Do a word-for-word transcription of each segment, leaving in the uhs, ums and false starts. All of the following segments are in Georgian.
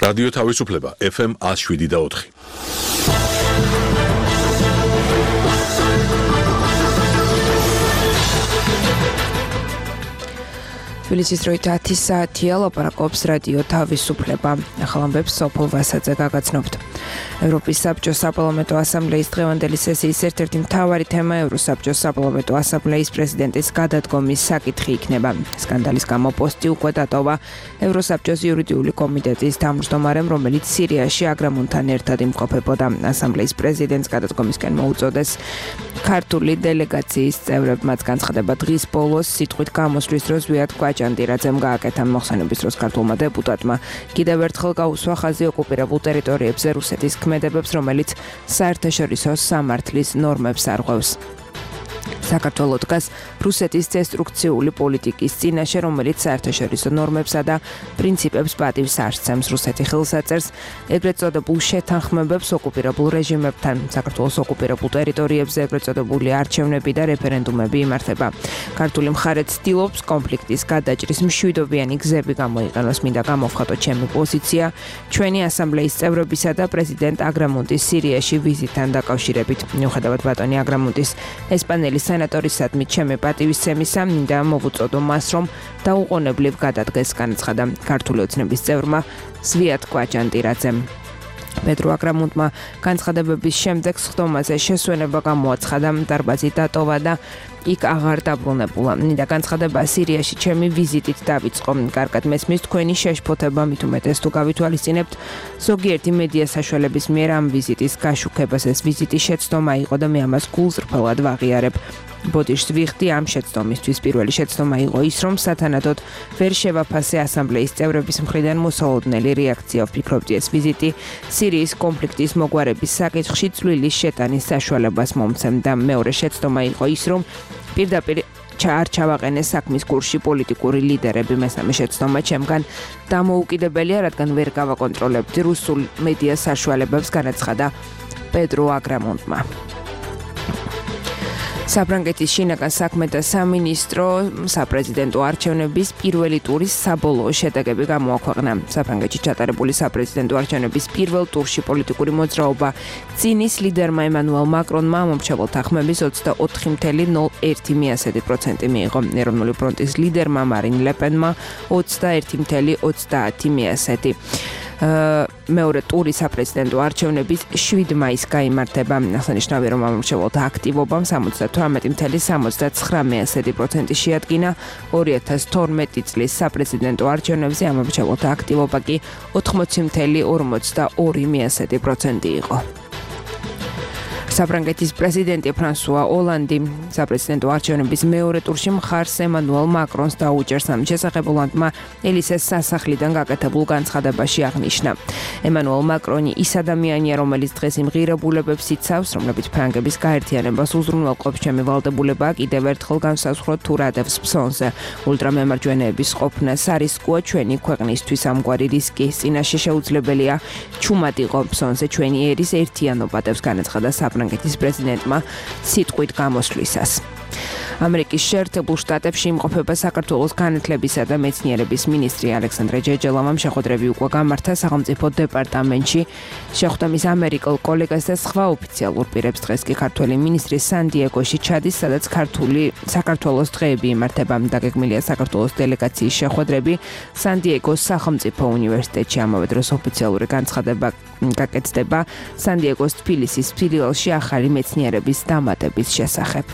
რადიო თავისუფლება ეფ ემ one oh seven და four. თბილისის დროით ათი საათია, ლაპარაკობს რადიო თავისუფლება. ახალ ამბებს სოფელ ვასაძე გაგაცნობთ. ევროპის საბჭოს საპარლამენტო ასამბლეის დღევანდელი სესიის ერთ-ერთი მთავარი თემა ევროსაბჭოს საპარლამენტო ასამბლეის პრეზიდენტის გადადგომის საკითხი იქნება. სკანდალის გამო პოსტი უკვე დატოვა ევროსაბჭოს იურიდიული კომიტეტის თავმჯდომარემ, რომელიც სირიაში აგრამუნთან ერთად იმყოფებოდა. ასამბლეის პრეზიდენტს გადადგომისკენ მოუწოდეს ქართული დელეგაციის წევრებმაც განცხადება დღის ბოლოს სიტყვით გამოსვლის დროს ზვიად კვაჭანტირაძემ გააკეთა. მოხსენების დროს ქართულმა დეპუტატმა კიდევ ერთხელ გაუსვა ხაზი ოკუპირებულ ტერიტორიებზე რუსეთის ქმედებებს, რომელიც საერთაშორისო სამართლის ნორმებს არღვევს. საქართველოს დგას რუსეთის დესტრუქციული პოლიტიკის წინაშე, რომელიც საერთაშორისო ნორმებსა და პრინციპებს პატივს ასცემს. რუსეთი ხელს აწერს ეგრეთ წოდებულ შეთანხმებებს ოკუპირებულ რეჟიმებთან. საქართველოს ოკუპირებულ ტერიტორიებზე ეგრეთ წოდებული არჩევნები და რეფერენდუმები იმართება. ქართული მხარე ცდილობს კონფლიქტის გადაჭრის მშვიდობიანი გზები გამოიყენოს. მინდა გამოვხატოთ ჩემი პოზიცია ჩვენი ასამბლეის წევრებისა და პრეზიდენტ აგრამუნტის სირიაში ვიზიტთან დაკავშირებით. მიუხედავად ბატონი აგრამუნტის ესპანელი სენატორისადმი ჩემი პატივისცემისა, მინდა მოვუწოდო მას, რომ დაუყოვნებლივ გადადგეს, განაცხადა ქართული ოცნების წევრმა ზვიად კვაჭანტირაძემ. პედრო აგრამუნტმა განცხადებების შემდეგ სხდომაზე შესვენება გამოაცხადა, დარბაზი დატოვა და იქ აღარ დაბრუნებულა. მინდა განცხადება სირიაში ჩემი ვიზიტით დავიწყო. კარგად მესმის თქვენი შეშფოთება, მით უმეტეს თუ გავითვალისწინებთ ზოგიერთი მედია საშუალების მიერ ამ ვიზიტის გაშუქებას. ეს ვიზიტი შეცდომა იყო და მე ამას გულწრფელად ვაღიარებ. ბოდიშს ვიხდი ამ შეცდომისთვის. პირველი შეცდომა იყო ის, რომ სათანადოდ ვერ შევაფასე ასამბლეის წევრების მხრიდან მოსალოდნელი რეაქცია. ვფიქრობდი, ეს ვიზიტი სირიის კონფლიქტის მოგვარების საკითხში წვლილის შეტანის საშუალებას მომცემ და მეორე შეცდომა იყო ის, რომ პირდაპირ არ ჩავაყენე საქმის კურსში პოლიტიკური ლიდერები. მესამე შეცდომა ჩემგან დამოუკიდებელია, რადგან ვერ გავაკონტროლებდი რუსულ მედია საშუალებებს, განაცხადა პედრო აგრამუნტმა. საფრანგეთის შინაგან საქმეთა სამინისტრო საპრეზიდენტო არჩევნების პირველი ტურის საბოლოო შედეგები გამოაქვეყნა. საფრანგეთში ჩატარებული საპრეზიდენტო არჩევნების პირველ ტურში პოლიტიკური მოძრაობა წინის ლიდერმა ემანუელ მაკრონმა მომრჩეველთა ხმების ოცდაოთხი წუთი ნულ ერთი პროცენტი მიიღო. ეროვნული ფრონტის ლიდერმა მარინ ლეპენმა ოცდაერთი წუთი ოცდაათი პროცენტი. მეორე ტური საპრეზიდენტო არჩევნების შვიდ მაისს გაიმართება. აღსანიშნავია, რომ ამომრჩეველთა აქტივობამ სამოცდათვრამეტი წუთი სამოცდაცხრამეტი პროცენტი შეადგინა. ორი ათას თორმეტი წლის საპრეზიდენტო არჩევნებზე ამომრჩეველთა აქტივობა კი ოთხმოცი წუთი ორმოცდაორი პროცენტი იყო. საფრანგეთის პრეზიდენტი ფრანსუა ოლანდი საპრეზიდენტო არჩევნების მეორე ტურში მხარს ემანუელ მაკრონს დაუჭერს. ამ შესახებ ოლანდმა ელისეს სასახლიდან გაკეთებულ განცხადებაში აღნიშნა. ემანუელ მაკრონი ის ადამიანია, რომელიც დღეს იმ ღირებულებებს იცავს, რომლებიც ფრანგების გაერთიანებას უზრუნველყოფს. ჩემი ვალდებულება კიდევ ერთხელ განსაზღვროთ თუ რა დევს ფსონზე. ულტრამემარჯვენეების ყოფნა სარისკოა ჩვენი ქვეყნისთვის. ამგვარი რისკის წინაშე შეუძლებელია ჩუმად იყო ფსონზე ჩვენი ერის ერთიანობა, დევს განაცხადა საფრანგეთის პრეზიდენტმა სიტყვით გამოსვლისას. ამერიკის შეერთებულ შტატებში იმყოფება საქართველოს განათლებისა და მეცნიერების მინისტრი ალექსანდრე ჯეჯელოვამ შეხვედრები უკვე გამართა სახელმწიფო დეპარტამენტში. შეხვდა მის ამერიკელ კოლეგას და სხვა ოფიციალურ პირებს. დღეს კი ქართველი მინისტრი სან-დიეგოში ჩადის, სადაც ქართული საქართველოს დღეები იმართება. დაგეგმილია საქართველოს დელეგაციის შეხვედრები სან-დიეგოს სახელმწიფო უნივერსიტეტში. ამავე დროს ოფიციალური განცხადება გაკეთდება სან-დიეგოს თბილისის ფილიალში ახალი მეცნიერების დამატების შესახებ.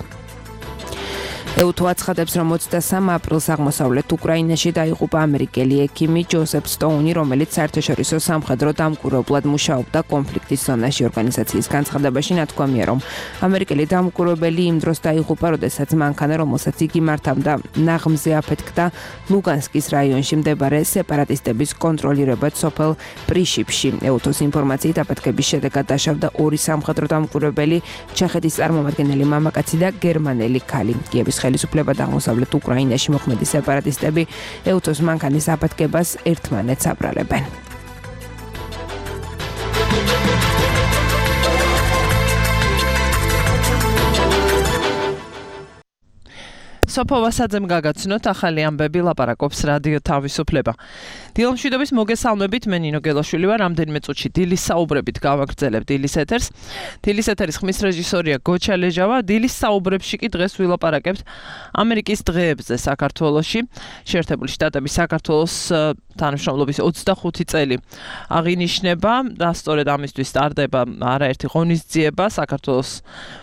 ევთო აცხადებს, რომ ოცდასამ აპრილს აღმოსავლეთ უკრაინაში დაიღუპა ამერიკელი ექიმი ჯოსეფ სტოუნი, რომელიც საერთაშორისო სამხედრო დამკვირვებლად მუშაობდა კონფლიქტის ზონაში. ორგანიზაციის განცხადებაში ნათქვამია, რომ ამერიკელი დამკვირვებელი იმ დროს დაიღუპა, როდესაც მანქანა, რომელსაც იგი მართავდა, ნაღმზე აფეთქდა ლუგანსკის რაიონში მდებარე სეპარატისტების კონტროლირებად სოფელ პრიშიპში. ევთოს ინფორმაციით აფეთქების შედეგად დაშავდა ორი სამხედრო დამკვირვებელი, ჩეხეთის წარმომადგენელი მამაკაცი და გერმანელი ქალი. კიევის ხელისუფლება და აღმოსავლეთ უკრაინაში მოქმედი სეპარატისტები ევთოს მანქანის აფეთქებას ერთმანეთს აბრალებენ. სოფო ვასაძემ გაგაცნოთ ახალი ამბები, ლაპარაკობს რადიო თავისუფლება. დილომშვიდობის მოგესალმებით, მე ნინო გელაშვილი ვარ, რამდენიმე წუთში დილის საუბრებით გავაგრძელებ დილის ეთერს. დილის ეთერის ხმის რეჟისორია გოჩა ლეჟავა. დილის საუბრებში კი დღეს ვილაპარაკებთ ამერიკის დღეებზე საქართველოში. შეერთებული შტატების საქართველოს თანამშრომლობის ოცდახუთი წელი აღინიშნება და სწორედ ამისთვის სტარდება არაერთი ღონისძიება საქართველოს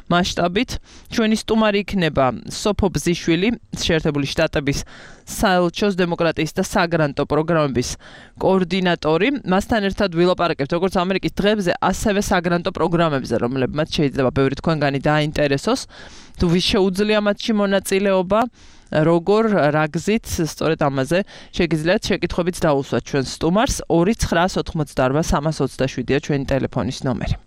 მასშტაბით. ჩვენი სტუმარი იქნება სოფო ბზიშვილი, შეერთებული შტატების საელჩოს დემოკრატიის და საგრანტო პროგრამების კოორდინატორი. მასთან ერთად ვილაპარაკებთ როგორც ამერიკის დღეებზე, ასევე საგრანტო პროგრამებზე, რომლებმაც შეიძლება ბევრი თქვენგანი დააინტერესოს. თუ ვის შეუძლია მათში მონაწილეობა, როგორ, რა გზით, სწორედ ამაზე შეგიძლიათ შეკითხვებით დაუსვათ ჩვენ სტუმარს. ორი ცხრაას ოთხმოცდაარბა სამას ოცდაშვიდია ჩვენი ტელეფონის ნომერი.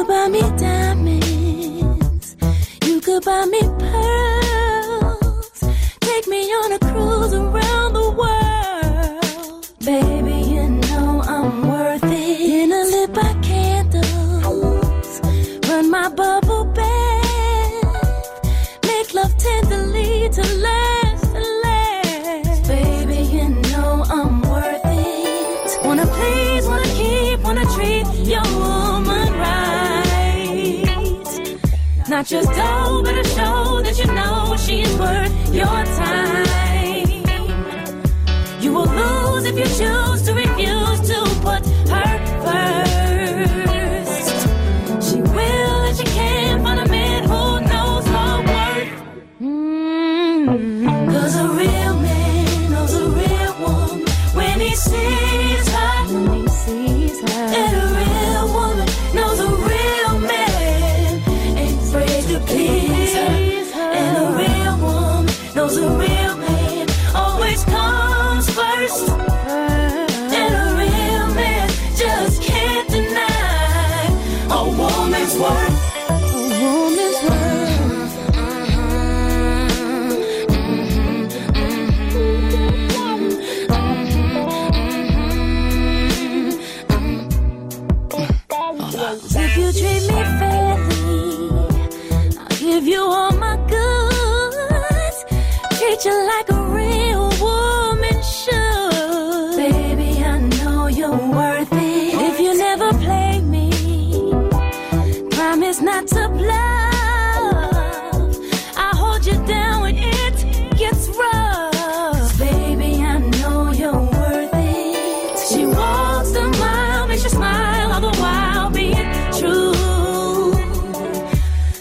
Buy me diamonds, you could buy me pearls, take me on a cruise around the world. Baby, you know I'm worth it. Dinner lit by candles, run my bubble bath, make love tenderly to last and last. Baby, you know I'm worth it. Wanna please, wanna keep, wanna treat your woman right. Not just dough, but a show that you know she's worth your time. You will lose if you choose to refuse to put her first. She will and she can find a man who knows her worth. Mm-hmm. Cause a real man knows a real woman when he sees her. When he sees her. And a real woman knows a real man. To please her. And a real woman knows a real man always comes first. And a real man just can't deny a woman's worth. A woman's worth. If you treat me fairly, give you all my goods, treat you like a real woman should. Baby, I know you're worth it. If you never play me, promise not to bluff. I hold you down when it gets rough. Baby, I know you're worth it. She walks the mile, makes you smile, all the while being true.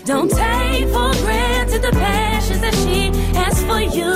Don't take for granted the passions that she has for you.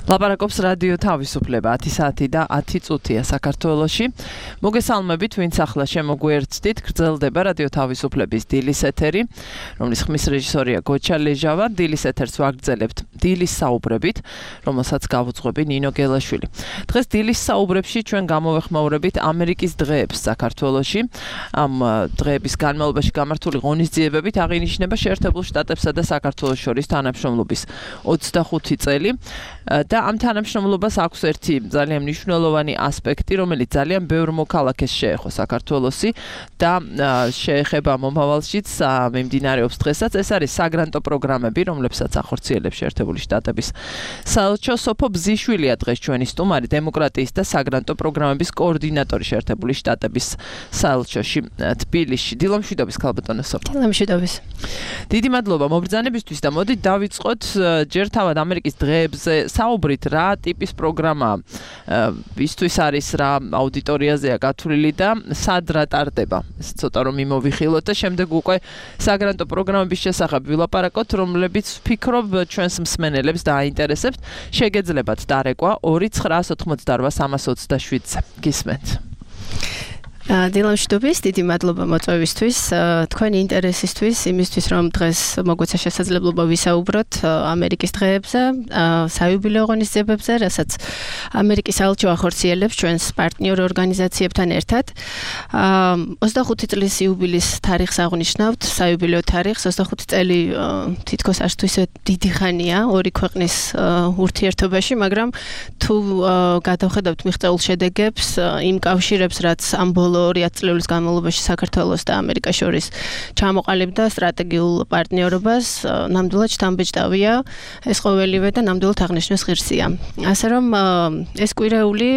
ლაპარაკობს რადიო თავისუფლება ათი საათი და ათი წუთია საქართველოში. მოგესალმებით, ვინც ახლა შემოგვიერთდით, გრძელდება რადიო თავისუფლების დილის ეთერი, რომლის ხმის რეჟისორია გოჩა ლეჟავა. დილის ეთერს ვაგრძელებთ დილის საუბრებით, რომელსაც გავუძღვები ნინო გელაშვილი. დღეს დილის საუბრებში ჩვენ გამოვეხმაურებით ამერიკის დღეებს საქართველოში. ამ დღეების განმავლობაში გამართული ღონისძიებებით აღინიშნება შეერთებულ შტატებსა და საქართველოს შორის თანამშრომლობის ოცდახუთი წელი. და ამ თანამშრომლობას აქვს ერთი ძალიან მნიშვნელოვანი ასპექტი, რომელიც ძალიან ბევრ მოქალაქეს შეეხო საქართველოსი და შეეხება მომავალშიც მიმდინარეობს დღესაც. ეს არის საგრანტო პროგრამები, რომლებსაც ახორციელებს შეერთებული შტატების საელჩო. სოფო ბზიშვილია დღეს ჩვენი სტუმარი, დემოკრატიის და საგრანტო პროგრამების კოორდინატორი შეერთებული შტატების საელჩოში თბილისში. დილომშვიდობის ქალბატონო სოფო. დილომშვიდობის. დიდი მადლობა მობრძანებისთვის და მოდით დავიწყოთ ჯერ თავად ამერიკის დღეებზე საუბრით, რა ტიპის პროგრამა ისთვის არის, რა აუდიტორიაზეა გათვლილი და სად რა ტარდება. ეს ცოტა რომ მიმოვიხილოთ და შემდეგ უკვე საგრანტო პროგრამების შესახებ ვილაპარაკოთ, რომლებიც ვფიქრობ ჩვენს მსმენელებს დააინტერესებთ. შეგეძლებათ დარეკვა ორი ცხრა ოთხმოცდაოთხ სამას ოცდაშვიდზე. გისმენთ. დილომშვიდობის, დიდი მადლობა მოწვევისთვის, თქვენი ინტერესისთვის, იმისთვის რომ დღეს მოგვეცა შესაძლებლობა ვისაუბროთ ამერიკის დღეებზე, საიუბილეო ღონისძიებებზე, რასაც ამერიკის საელჩო ახორციელებს ჩვენს პარტნიორ ორგანიზაციებთან ერთად. ოცდახუთი წლის იუბილის თარიღს აღნიშნავთ, საიუბილეო თარიღს. ოცდახუთი წელი თითქოს არც თუ ისე დიდი ხანია ორი ქვეყნის ურთიერთობაში, მაგრამ თუ გადავხედავთ მიღწეულ შედეგებს, იმ კავშირებს, რაც ამ ბოლო ორი ათწლეულის განმავლობაში საქართველოს და ამერიკას შორის ჩამოყალიბდა სტრატეგიულ პარტნიორობას, ნამდვილად შთამბეჭდავია ეს ყოველივე და ნამდვილად აღნიშნვის ღირსია. ასე რომ ეს კვირეული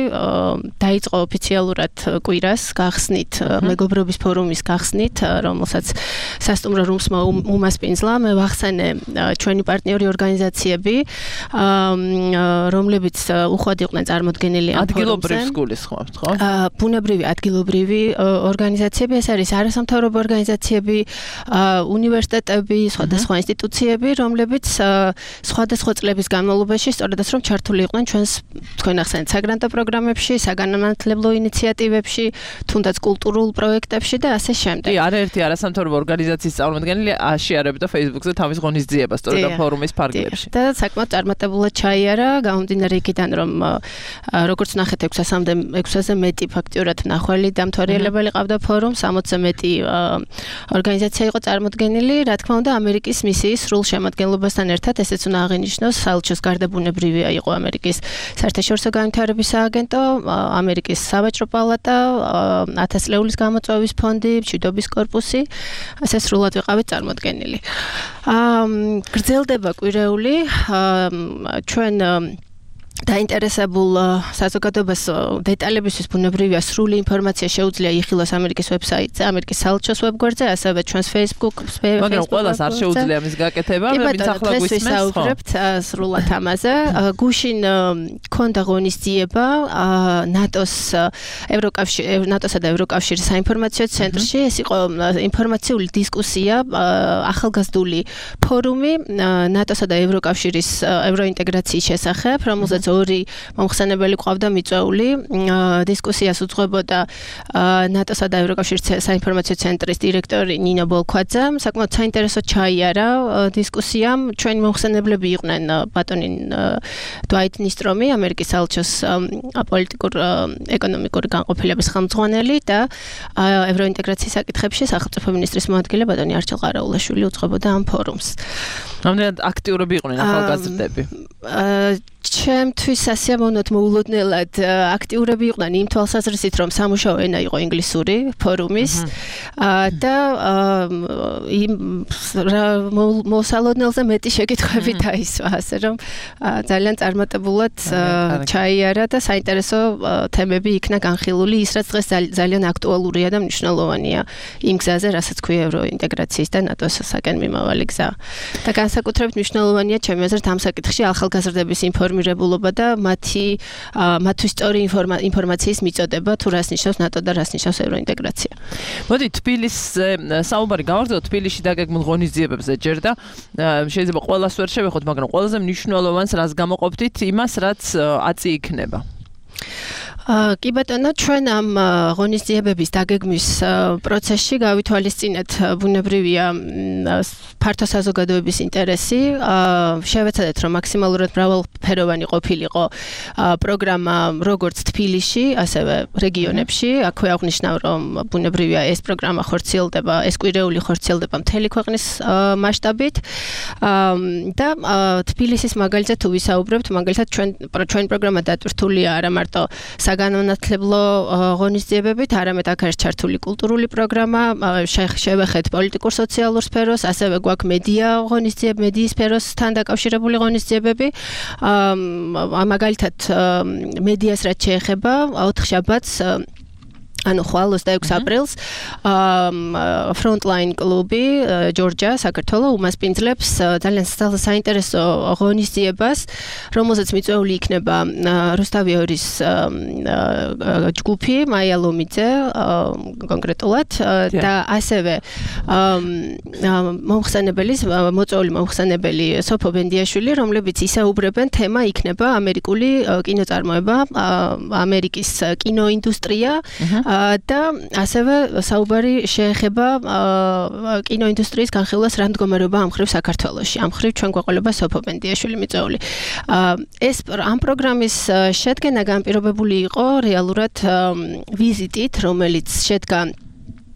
დაიწყო ოფიციალურად კვირას გახსნით, მეგობრობის ფორუმის გახსნით, რომელსაც სასტუმრო რუმს უმასპინძლა. მე ვახსენე ჩვენი პარტნიორი ორგანიზაციები, რომლებიც უხვად იყვნენ წარმოდგენილი ამ ფორუმზე. ადგილობრივ გულისხმობთ, ხო? ბუნებრივი ადგილობრივი ორგანიზაციები, ეს არის არასამთავრობო ორგანიზაციები, უნივერსიტეტები, სხვადასხვა ინსტიტუციები, რომლებიც სხვადასხვა წლების განმავლობაში სწორედაც რომ ჩართული იყვნენ ჩვენს თქვენ ახსენეთ საგრანტო პროგრამებში, საგანმანათლებლო ინიციატივებში, თუნდაც კულტურულ პროექტებში და ასე შემდეგ. კი, არაერთი არასამთავრობო ორგანიზაციის წარმომადგენელი აშიარებდა Facebook-ზე თავის ღონისძიებას, სწორედ ამ ფორუმის ფარგლებში. და საკმაოდ წარმატებულად ჩაიარა, გამომდინარე იქიდან რომ როგორც ნახეთ ექვსასზე მეტი ფაქტიურად მნახველი დამთვალიერებელი ყავდა ფორუმს, სამოცზე მეტი ორგანიზაცია იყო წარმოდგენილი, რა თქმა უნდა, ამერიკის მისიის სრულ შემადგენლობასთან ერთად, ესეც უნდა აღინიშნოს, საელჩოს გარდა ბუნებრივია იყო ამერიკის საერთაშორისო განვითარების სააგენტო, ამერიკის სავაჭრო პალატა, ათასწლეულის გამოწვევის ფონდი, მშვიდობის კორპუსი, ასე სრულად ვიყავით წარმოდგენილი. გრძელდება კვირეული, ჩვენ დაინტერესებულ საზოგადოებას დეტალებისთვის ბუნებრივია სრული ინფორმაცია შეუძლია იხილოს ამერიკის ვებსაიტზე, ამერიკის საელჩოს ვებგვერდზე, ასევე ჩვენს Facebook-ს, მაგრამ ყველას არ შეუძლია მის გაკეთება, ვინც ახლა გვისმენს, ხო? სრულად ამაზე. გუშინ ქონდა ღონისძიება ნატოს ევროკავშირ ნატოსა და ევროკავშირის საინფორმაციო ცენტრში. ეს იყო ინფორმაციული დისკუსია, ახალგაზრდული ფორუმი ნატოსა და ევროკავშირის ევროინტეგრაციის შესახებ, რომელზეც ორი მომხსენებელი ყავდა მიწვეული. დისკუსიას უძღვებოდა ნატოსა და ევროკავშირის საინფორმაციო ცენტრის დირექტორი ნინო ბოლქვაძე. საკმაოდ საინტერესო ჩაიარა დისკუსიამ. ჩვენი მომხსენებლები იყვნენ ბატონი დვაით ნისტრომი, ამერიკის საელჩოს პოლიტიკურ ეკონომიკური განყოფილების ხელმძღვანელი და ევროინტეგრაციის საკითხებში სახელმწიფო მინისტრის მოადგილე ბატონი არჩილ ყარაულაშვილი უძღვებოდა ამ ფორუმს. რამდენად აქტიურები იყვნენ ახალგაზრდები? ჩემთვის ასიამოვნოთ მოულოდნელად აქტიურები იყვნენ იმ თვალსაზრისით, რომ სამუშაო ენა იყო ინგლისური ფორუმის და იმ მოსალოდნელზე მეტი შეკითხვები დაისვა, ასე რომ ძალიან წარმატებულად ჩაიარა და საინტერესო თემები იქნა განხილული, ის რაც დღეს ძალიან აქტუალურია და მნიშვნელოვანია იმ გზაზე, რასაც ქვია ევროინტეგრაციის და ნატოს საკენ მიმავალი გზა. და განსაკუთრებით მნიშვნელოვანია ჩემი აზრით ამ საკითხში ახალგაზრდების ინფორმირება ინფორმირებულობა და მათი მათთვის სწორი ინფორმაციის მიწოდება თუ რას ნიშნავს ნატო და რას ნიშნავს ევროინტეგრაცია. მოდი თბილისზე საუბარი გავაგრძელოთ თბილისში დაგეგმილ ღონისძიებებზე ჯერ და შეიძლება ყველას ვერ შევეხოთ, მაგრამ ყველაზე მნიშვნელოვანს რას გამოყოფდით იმას, რაც აწი იქნება. კი ბატონო, ჩვენ ამ ღონისძიებების დაგეგმვის პროცესში გავითვალისწინეთ ბუნებრივია ფართო საზოგადოების ინტერესი. შევეცადეთ, რომ მაქსიმალურად მრავალფეროვანი ყოფილიყო პროგრამა როგორც თბილისში, ასევე რეგიონებში. აქვე აღნიშნავ, რომ ბუნებრივია ეს პროგრამა ხორციელდება, ეს კვირეული ხორციელდება მთელი ქვეყნის მასშტაბით. და თბილისის მაგალითად თუ ვისაუბრებთ, მაგალითად ჩვენ ჩვენ პროგრამა დატვირთულია არა მარტო საგანმანათლებლო ღონისძიებებით, არამედ აქ არის ჩართული კულტურული პროგრამა, შევეხეთ პოლიტიკურ სოციალურ სფეროს, ასევე გვაქვს მედია ღონისძიებები, მედიის სფეროსთან დაკავშირებული ღონისძიებები. მაგალითად მედიას რაც შეეხება, ოთხშაბათს ანუ ხვალ ოცდაექვსი აპრილს Frontline კლუბი ჯორჯია, საქართველოს უმასპინძლებს ძალიან საინტერესო ღონისძიებას, რომელზეც მიწვეული იქნება რუსთავიორის ჯგუფი, მაია ლომიძე კონკრეტულად და ასევე მომხსენებელი, მოწვეული მომხსენებელი სოფო ბენდიაშვილი, რომლებიც ისაუბრებენ, თემა იქნება ამერიკული კინოწარმოება, ამერიკის კინოინდუსტრია და ასევე საუბარი შეეხება კინოინდუსტრიის განხილვას რა მდგომარეობა ამ მხრივ საქართველოში. ამ მხრივ ჩვენ გვეყოლება სოფო ბენდიაშვილი მიწვეული. ეს ამ პროგრამის შედგენა განპირობებული იყო რეალურად ვიზიტით, რომელიც შედგა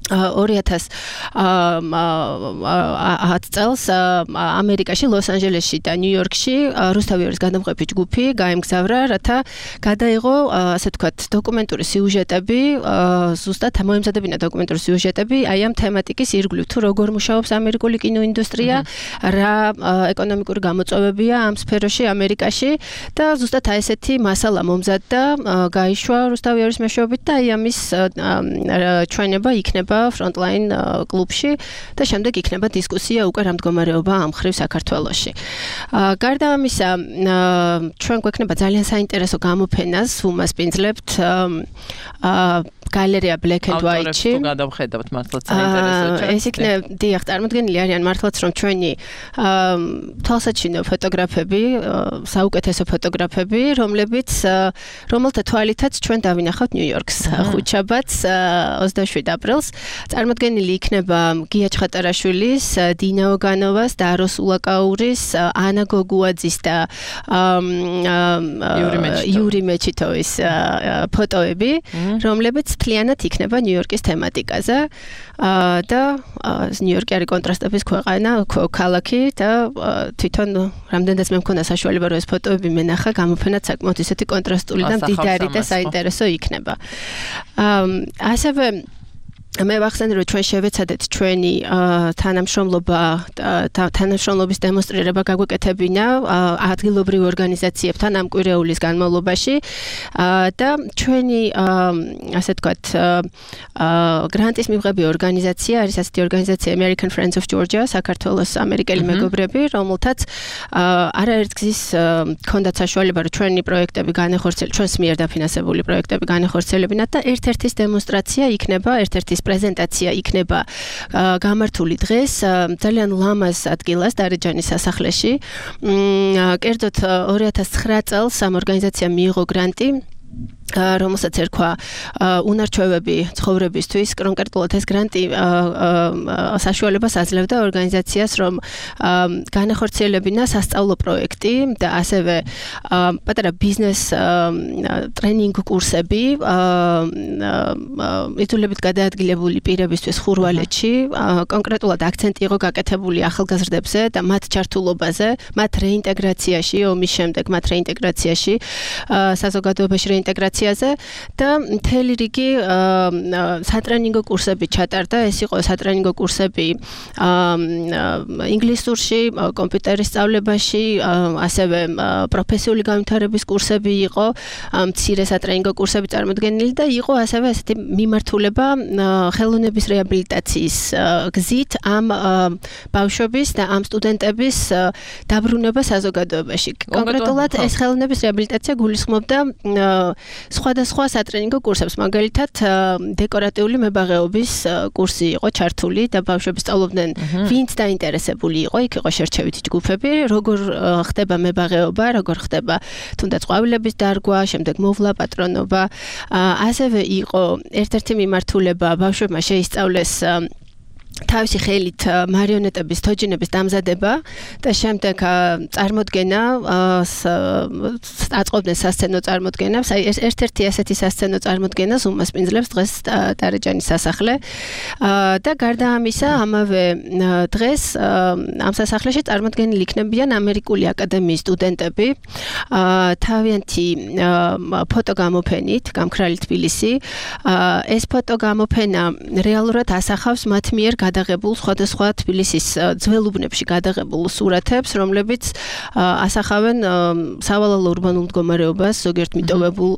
ორი ათას ათ წელს ამერიკაში, ლოს-ანჯელესში და ნიუ-იორკში რუსთავიორის გადამღები ჯგუფი გაემგზავრა, რათა გადაიღო, ასე ვთქვათ, დოკუმენტური სიუჟეტები, ზუსტად მოემზადებინა დოკუმენტური სიუჟეტები აი ამ თემატიკის ირგვლივ, თუ როგორ მუშაობს ამერიკული კინოინდუსტრია, რა ეკონომიკური გამოწვევებია ამ სფეროში ამერიკაში და ზუსტად აი ესეთი მასალა მომზადდა, გაიშვა რუსთავიორის მეშვეობით და აი ამის ჩვენება იქნება Frontline კლუბში და შემდეგ იქნება დისკუსია უკვე რა მდგომარეობა ამ მხრივ საქართველოში. გარდა ამისა, ჩვენ გვექნება ძალიან საინტერესო გამოფენას უმასპინძლებთ გალერეა Black and White-ში. ავტორებს თუ გადავხედავთ მართლაც საინტერესოა. ეს იქნება, დიახ, წარმოდგენილი არიან მართლაც რომ ჩვენი თვალსაჩინო ფოტოგრაფები, საუკეთესო ფოტოგრაფები, რომლებიც რომელთა თვალითაც ჩვენ დავინახავთ ნიუ-იორკს ხუთშაბათს ოცდაშვიდი აპრილს. წარმოდგენილი იქნება გია ჩხატარაშვილის, დინა ოგანოვას, დაროს ულაკაურის, ანა გოგუაძის და იური მეჩიტოვის ფოტოები, რომლებიც მთლიანად იქნება ნიუ-იორკის თემატიკაზე და ნიუ-იორკი არის კონტრასტების ქვეყანა, ქალაქი და თვითონ რამდენადაც მე მქონდა საშუალება რომ ეს ფოტოები მენახა, გამოფენაც საკმაოდ ისეთი კონტრასტული და მდიდარი და საინტერესო იქნება. ასევე მე ვახსენე რომ ჩვენ შევეცადეთ ჩვენი თანამშრომლობა თანამშრომლობის დემონსტრირება გაგვეკეთებინა ადგილობრივ ორგანიზაციებთან ამ კვირეულის განმავლობაში და ჩვენი ასე ვთქვათ გრანტის მიღები ორგანიზაცია არის ასეთი ორგანიზაცია American Friends of Georgia, საქართველოს ამერიკელი მეგობრები, რომელთაც არაერთგზის ჰქონდათ საშუალება რომ ჩვენი პროექტები განეხორციელებინათ, ჩვენს მიერ დაფინანსებული პროექტები განეხორციელებინათ და ერთ-ერთის დემონსტრაცია იქნება, ერთ-ერთის პრეზენტაცია იქნება გამართული დღეს ძალიან ლამაზ ადგილას დარეჯანის სასახლეში. კერძოდ ორი ათას ცხრა წელს ამ ორგანიზაციამ მიიღო გრანტი, რომელსაც ერქვა უნარჩვევები ცხოვრებისთვის. კონკრეტულად ეს გრანტი საშუალებას აძლევდა ორგანიზაციას, რომ განახორციელებინა სასწავლო პროექტი და ასევე პატარა ბიზნეს ტრენინგ კურსები ითვლებით გადაადგილებული პირებისთვის ხურვალეთში. კონკრეტულად აქცენტი იყო გაკეთებული ახალგაზრდებზე და მათ ჩართულობაზე, მათ რეინტეგრაციაში, ომის შემდეგ მათ რეინტეგრაციაში, საზოგადოებაში რეინტეგრაციაში რეაბილიტაციაზე და მთელი რიგი სატრენინგო კურსები ჩატარდა. ეს იყო სატრენინგო კურსები ინგლისურში, კომპიუტერის სწავლებაში, ასევე პროფესიული განვითარების კურსები იყო, მცირე სატრენინგო კურსები წარმოდგენილი და იყო ასევე ესეთი მიმართულება ხელოვნების რეაბილიტაციის გზით ამ ბავშვების და ამ სტუდენტების დაბრუნება საზოგადოებაში. კონკრეტულად ეს ხელოვნების რეაბილიტაცია გულისხმობდა სხვადასხვა სატრენინგო კურსებს, მაგალითად დეკორატიული მებაღეობის კურსი იყო ჩართული და ბავშვები სწავლობდნენ, ვინც დაინტერესებული იყო, იქ იყო შერჩევითი ჯგუფები, როგორ ხდება მებაღეობა, როგორ ხდება თუნდაც ყვავილების დარგვა, შემდეგ მოვლა, პატრონობა. ასევე იყო ერთ-ერთი მიმართულება ბავშვებმა შეისწავლეს თავისი ხელით მარიონეტების თოჯინების დამზადება და შემდეგ წარმოდგენა აწყობდნენ სასცენო წარმოდგენას. აი ეს ერთ-ერთი ასეთი სასცენო წარმოდგენას უმასპინძლებს დღეს ტარეჯანის სასახლე და გარდა ამისა ამავე დღეს ამ სასახლეში წარმოდგენილი იქნებიან ამერიკული აკადემიის სტუდენტები თავიანთი ფოტოგამოფენით გამქრალი თბილისი. ეს ფოტოგამოფენა რეალურად ასახავს მათ მიერ გადაღებულ სხვადასხვა თბილისის ძველუბნებში გადაღებულ სურათებს, რომლებიც ასახავენ სავალალო ურბანულ მდგომარეობას ზოგიერთ მიტოვებულ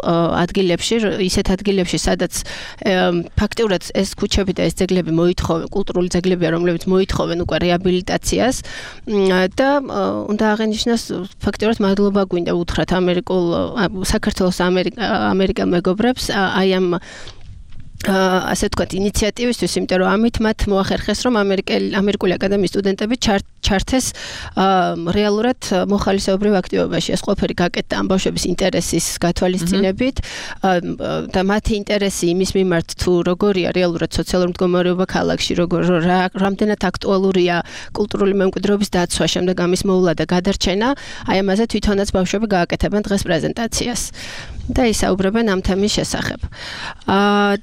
ადგილებში, ისეთ ადგილებში, სადაც ფაქტიურად ეს ქუჩები და ეს ძეგლები მოითხოვენ, კულტურული ძეგლებია, რომლებიც მოითხოვენ უკვე რეაბილიტაციას და უნდა აღინიშნოს ფაქტიურად მადლობა გვინდა უთხრათ ამერიკულ საქართველოს ამერიკელ მეგობრებს აი ამ ასე ვთქვათ ინიციატივისთვის, იმიტომ რომ ამით მათ მოახერხეს, რომ ამერიკული აკადემიის სტუდენტები ჩართეს რეალურად მოხალისეობრივ აქტივობაში. ეს ყველაფერი გაკეთდა ამ ბავშვების ინტერესის გათვალისწინებით და მათი ინტერესი იმის მიმართ თუ როგორია რეალურად სოციალური მდგომარეობა ქალაქში, როგორ რამდენად აქტუალურია კულტურული მემკვიდრეობის დაცვა, შემდეგ ამის მოვლა და გადარჩენა, აი ამაზე თვითონაც ბავშვები გააკეთებენ დღეს პრეზენტაციას. და ისაუბრებენ ამ თემის შესახებ.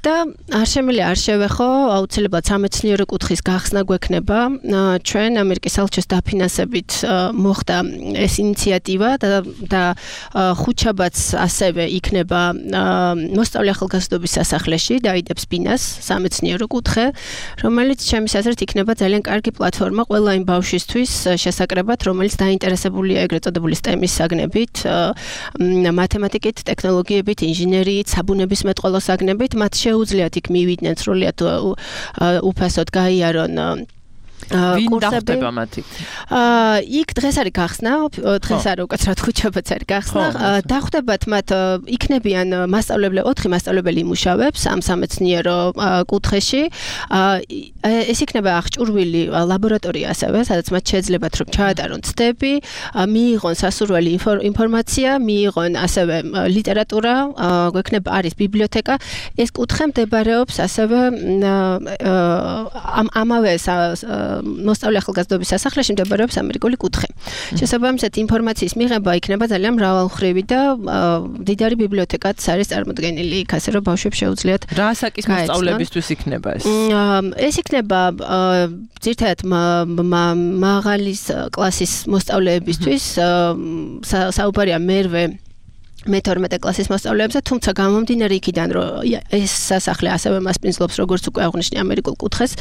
და არ შემიძლია არ შევეხო, აუცილებლად სამეცნიერო კუთხის გახსნა გვექნება. ჩვენ ამერიკის საელჩოს დაფინანსებით მოხდა ეს ინიციატივა და ხუთშაბათს ასევე იქნება მოსწავლე ახალგაზრდობის სასახლეში, დაიდებს ბინას სამეცნიერო კუთხე, რომელიც ჩემის აზრით იქნება ძალიან კარგი პლატფორმა ყველა იმ ბავშვისთვის შესაკრებად, რომელიც დაინტერესებულია ეგრეთ წოდებული STEM-ის საგნებით, მათემატიკით, ტექნოლოგიებით, ინჟინერიით, საბუნებისმეტყველო საგნებით, მათ შეუძლიათ იქ მივიდნენ სრულიად უფასოდ გაიარონ ვინ დახტება მათი? იქ დღეს არის გახსნა, დღეს არ უკაცრად ხუთშაბათს არის გახსნა. დახტებათ მათ იქნებიან მასწავლებლები, ოთხი მასწავლებელი იმუშავებს ამ სამეცნიერო კუთხეში. ეს იქნება აღჭურვილი ლაბორატორია ასევე, სადაც მათ შეეძლებათ რომ ჩაატარონ ცდები, მიიღონ სასურველი ინფორმაცია, მიიღონ ასევე ლიტერატურა, გვექნება არის ბიბლიოთეკა. ეს კუთხე მდებარეობს ასევე ამავე მოსწავლე ახალგაზრდობის სასახლეში მდებარეობს ამერიკული კუთხე. შესაბამისად ინფორმაციის მიღება იქნება ძალიან მრავალმხრივი და დიდარი ბიბლიოთეკაც არის წარმოდგენილი, იქ ასე რომ ბავშვებს შეუძლიათ რა ასაკის მოსწავლეებისთვის იქნება ეს? ეს იქნება ძირთადად მაღალი კლასის მოსწავლეებისთვის, საუბარია მერვე მეთორმეტე კლასის მოსწავლეებზე, თუმცა გამომდინარე იქიდან, რომ ეს სასახლე ასევე მასპინძლობს, როგორც უკვე აღნიშნე ამერიკულ კუთხეს,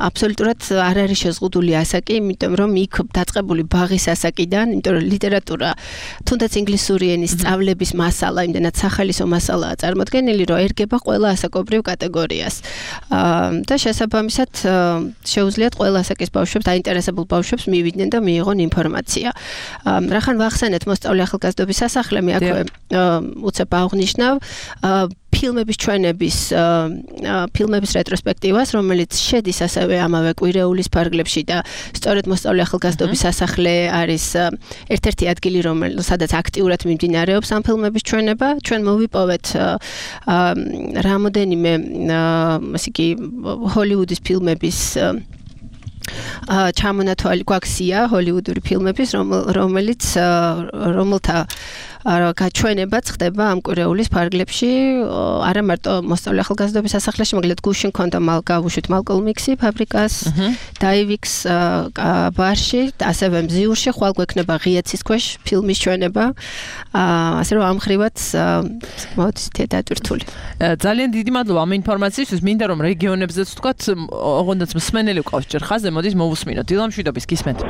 აბსოლუტურად არ არის შეზღუდული ასაკი, იმიტომ რომ იქ დაწყებული ბაღის ასაკიდან, იმიტომ რომ ლიტერატურა, თუნდაც ინგლისური ენის სწავლების მასალა, იმდენად სახალისო მასალაა წარმოდგენილი, რომ ერგება ყველა ასაკობრივ კატეგორიას. და შესაბამისად შეუძლიათ ყველა ასაკის ბავშვებს, დაინტერესებულ ბავშვებს მივიდნენ და მიიღონ ინფორმაცია. რახან ვახსენეთ მოსწავლე ახალგაზრდობის სასახლე მე აქვე უცებ აღნიშნავ ფილმების ჩვენების ფილმების რეტროსპექტივას, რომელიც შედის ასევე ამავე კვირეულის ფარგლებში და სწორედ მოსწავლე ახალგაზრდობის სასახლე არის ერთ-ერთი ადგილი, სადაც აქტიურად მიმდინარეობს ამ ფილმების ჩვენება. ჩვენ მოვიპოვეთ რამოდენიმე ასე იგი ჰოლივუდის ფილმების ჩამონათვალი გვაქვს სია ჰოლივუდური ფილმების, რომელიც რომელთა გაჩვენებაც ხდება ამ კვირეულის ფარგლებში, არა მარტო მოსწავლე ახალგაზრდობის სასახლეში, მაგალითად გუშინ ქონდა გავუშვით მალკოლმ იქსი ფაბრიკას, დაივიქს ბარში, ასევე მზიურში ხვალ გვექნება ღიაცის ქვეშ ფილმის ჩვენება, ასე რომ ამ ხრივაც მოდით დატვირთული. ძალიან დიდი მადლობა ამ ინფორმაციისთვის, მინდა რომ რეგიონებზეც ვთქვათ, ოღონდაც მსმენელი ვყავს ჯერ ხაზზე, მოდით მოვუსმინოთ. დილა მშვიდობის, გისმენთ.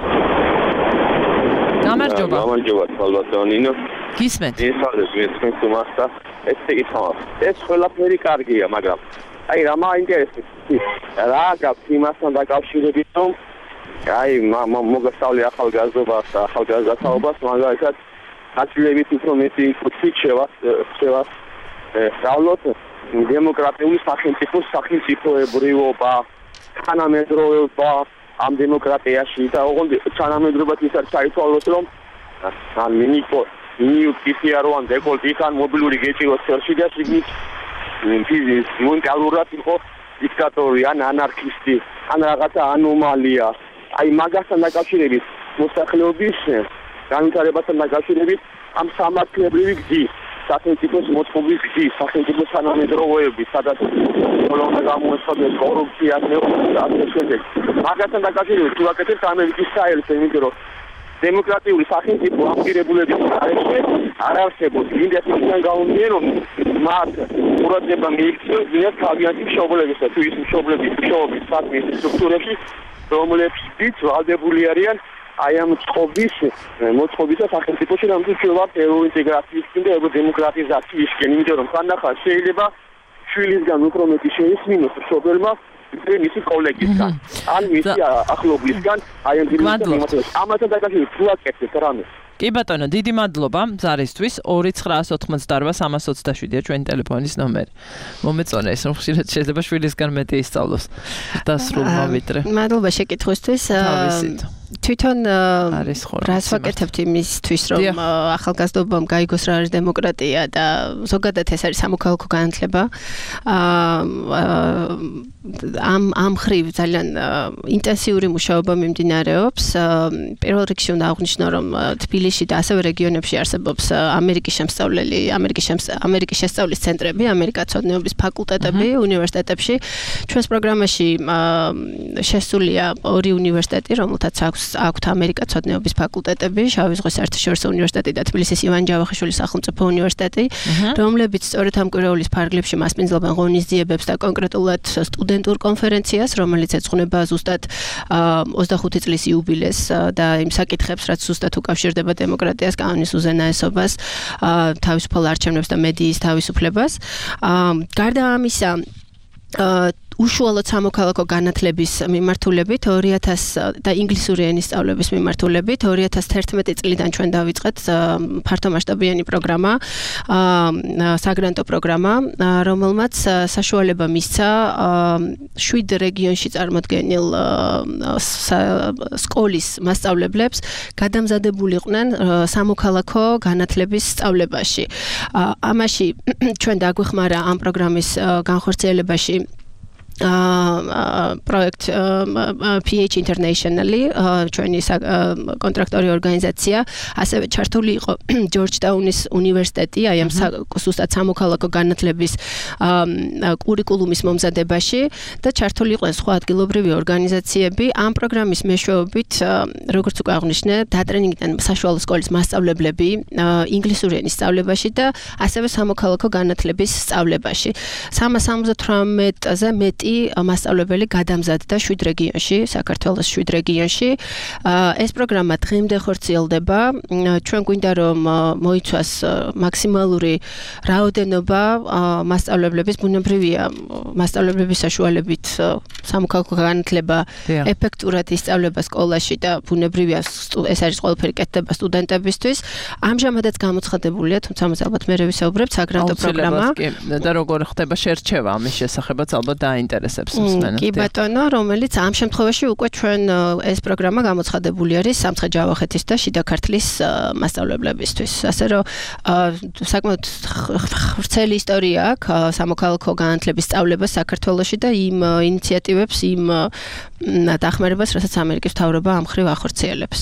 გამარჯობა. გამარჯობა, სალვატონინო. გისმენთ. ისადეს მისმენთ უმასა. ეს ეკითხა. ეს ყველაფერი კარგია, მაგრამ აი რა მაინტერესებს? რა გაქვს იმასთან დაკავშირებით, რომ აი მოგესწავლე ახალგაზრდობას, ახალგაზრდაობას, მაგალითად, გაცილებით უფრო მეტი კუთხით შევას, შევას სწავლოთ დემოკრატიული სახელმწიფოს სახელმწიფოებრიობა, თანამედროვეობა ამ დემოკრატიაში და ოღონდ თანამედროვეობაც ის არის საერთოდ რომ ან მინიკო ნიუკისია რო ან დეკოლტი ან მობილური გეჭიროს ხელში და შიგნით ფიზის მონტალურად იყო დიქტატორი ან ანარქისტი ან რაღაცა ანომალია აი მაგასთან დაკავშირებით მოსახლეობის განვითარებასთან დაკავშირებით ამ სამართლებრივი გზის სახელმწიფოს მოწყობის გზის სახელმწიფოს თანამედროვეობის სადაც ხოლმე გამოეცხადეს კორუფცია და ასე შემდეგ მაგასთან დაკავშირებით თუ აკეთებთ ამერიკის საელს იმიტომ რომ დემოკრატიული სახელმწიფო აპირებულების გარეშე არ არსებობს იმდენ ისგან გაუნდიან რომ მათ ყურადღება მიიქცეს ვინაც თავიანთი მშობლებისა თუ ის მშობლების მშობლების საქმის სტრუქტურებში რომლებიც ვალდებული არიან აი ამ წყობის მოწყობისა სახელმწიფოში რამაც შეიძლება ევროინტეგრაციისკენ და ევროდემოკრატიზაციისკენ იმიტომ რომ ხანდახან შეიძლება შვილისგან უფრო მეტი შეისმინოს მშობელმა მისი კოლეგისგან ან მისი ახლობლისგან აი ამ დილის ამათან დაკავშირებით თუ აკეთებთ რამე კი ბატონო, დიდი მადლობა ზარისთვის. ორი ცხრაას ოცდაოთხ სამას ოცდაშვიდია ჩვენი ტელეფონის ნომერი. მომეწონა ეს რომ ხშირად შეიძლება შვილისგან მეტი ისწავლოს. დასრულმა ვიდრე. მადლობა შეკითხვისთვის. თვითონ რას ვაკეთებთ იმისთვის რომ ახალგაზრდობამ გაიგოს რა არის დემოკრატია და ზოგადად ეს არის სამოქალაქო განათლება. ამ ამ ხრივ ძალიან ინტენსიური მუშაობა მიმდინარეობს. პირველ რიგში უნდა აღვნიშნო რომ თბილისში და ასევე რეგიონებში არსებობს ამერიკის შემსწავლელი, ამერიკის ამერიკის შესწავლის ცენტრები, ამერიკაცოდნეობის ფაკულტეტები უნივერსიტეტებში. ჩვენს პროგრამაში შესულია ორი უნივერსიტეტი, რომელთაც აქვს აქვთ ამერიკაცოდნეობის ფაკულტეტები, შავი ზღვის საერთაშორისო უნივერსიტეტი და თბილისის ივან ჯავახიშვილის სახელმწიფო უნივერსიტეტი, რომლებიც სწორედ ამ კვირეულის ფარგლებში მასპინძლობენ ღონისძიებებს და კონკრეტულად სტუდენტურ კონფერენციას, რომელიც ეძღვნება ზუსტად ოცდახუთი წლის იუბილეს და იმ საკითხებს, რაც ზუსტად უკავშირდება დემოკრატიას, კანონის უზენაესობას, თავისუფალ არჩევნებს და მედიის თავისუფლებას. გარდა ამისა, უშუალოდ სამოქალაქო განათლების მიმართულებით ორი ათას და ინგლისური ენის სწავლების მიმართულებით ორი ათას თერთმეტი წლიდან ჩვენ დავიწყეთ ფართომასშტაბიანი პროგრამა, საგრანტო პროგრამა, რომელმაც საშუალება მისცა შვიდ რეგიონში წარმოდგენილ სკოლის მასწავლებლებს გადამზადებულიყვნენ სამოქალაქო განათლების სწავლებაში. ამაში ჩვენ დაგვეხმარა ამ პროგრამის განხორციელებაში project P H Internationally ჩვენი კონტრაქტორი ორგანიზაცია, ასევე ჩართული იყო ჯორჯტაუნის უნივერსიტეტი, აი ამ ზუსტად სამოქალაქო განათლების კურიკულუმის მომზადებაში და ჩართული იყვნენ სხვა ადგილობრივი ორგანიზაციები. ამ პროგრამის მეშვეობით, როგორც უკვე აღვნიშნე, დატრენინგდნენ საშუალო სკოლის მასწავლებლები ინგლისური ენის სწავლებაში და ასევე სამოქალაქო განათლების სწავლებაში. სამას ორმოცდათვრამეტზე მეტი მასწავლებელი გადამზადდა შვიდ რეგიონში, საქართველოს შვიდ რეგიონში. ეს პროგრამა დღემდე ხორციელდება. ჩვენ გვინდა რომ მოიცვას მაქსიმალური რაოდენობა მასწავლებლების, ბუნებრივია მასწავლებლების საშუალებით სამოქალაქო განათლება ეფექტურად ისწავლება სკოლაში და ბუნებრივია ეს არის ყველაფერი კეთდება სტუდენტებისთვის. ამჟამადაც გამოცხადებულია, თუმცა მას ალბათ მე ვისაუბრებ, საგრანტო პროგრამა. და როგორ ხდება შერჩევა ამის შესახებაც ალბათ დაინტერესებს მსმენელს. კი ბატონო, რომელიც ამ შემთხვევაში უკვე ჩვენ ეს პროგრამა გამოცხადებული არის სამცხე-ჯავახეთის და შიდა ქართლის მასწავლებლებისთვის. ასე რომ საკმაოდ ვრცელი ისტორია აქვს სამოქალაქო განათლების სწავლებას საქართველოში და იმ ინიციატივებს, იმ დახმარებას, რასაც ამერიკის მთავრობა ამ ხრივ ახორციელებს.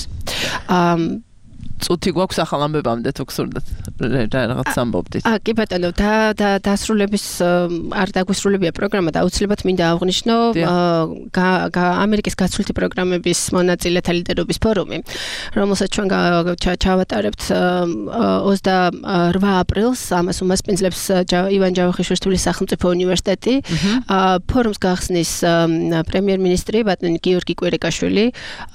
წუთი გვაქვს ახალ ამბებამდე თუ გსურდათ რაღაც ამბობდით. აა კი ბატონო, და და დასრულების არ დაგვისრულებია პროგრამა და აუცილებლად მინდა აღვნიშნო ამერიკის გაცვლითი პროგრამების მონაწილეთა ლიდერობის ფორუმი, რომელსაც ჩვენ ჩავატარებთ ოცდაორ აპრილს, ამას უმასპინძლებს ივან ჯავახიშვილის სახელმწიფო უნივერსიტეტი. ფორუმს გახსნის პრემიერ-მინისტრი ბატონი გიორგი კვირიკაშვილი.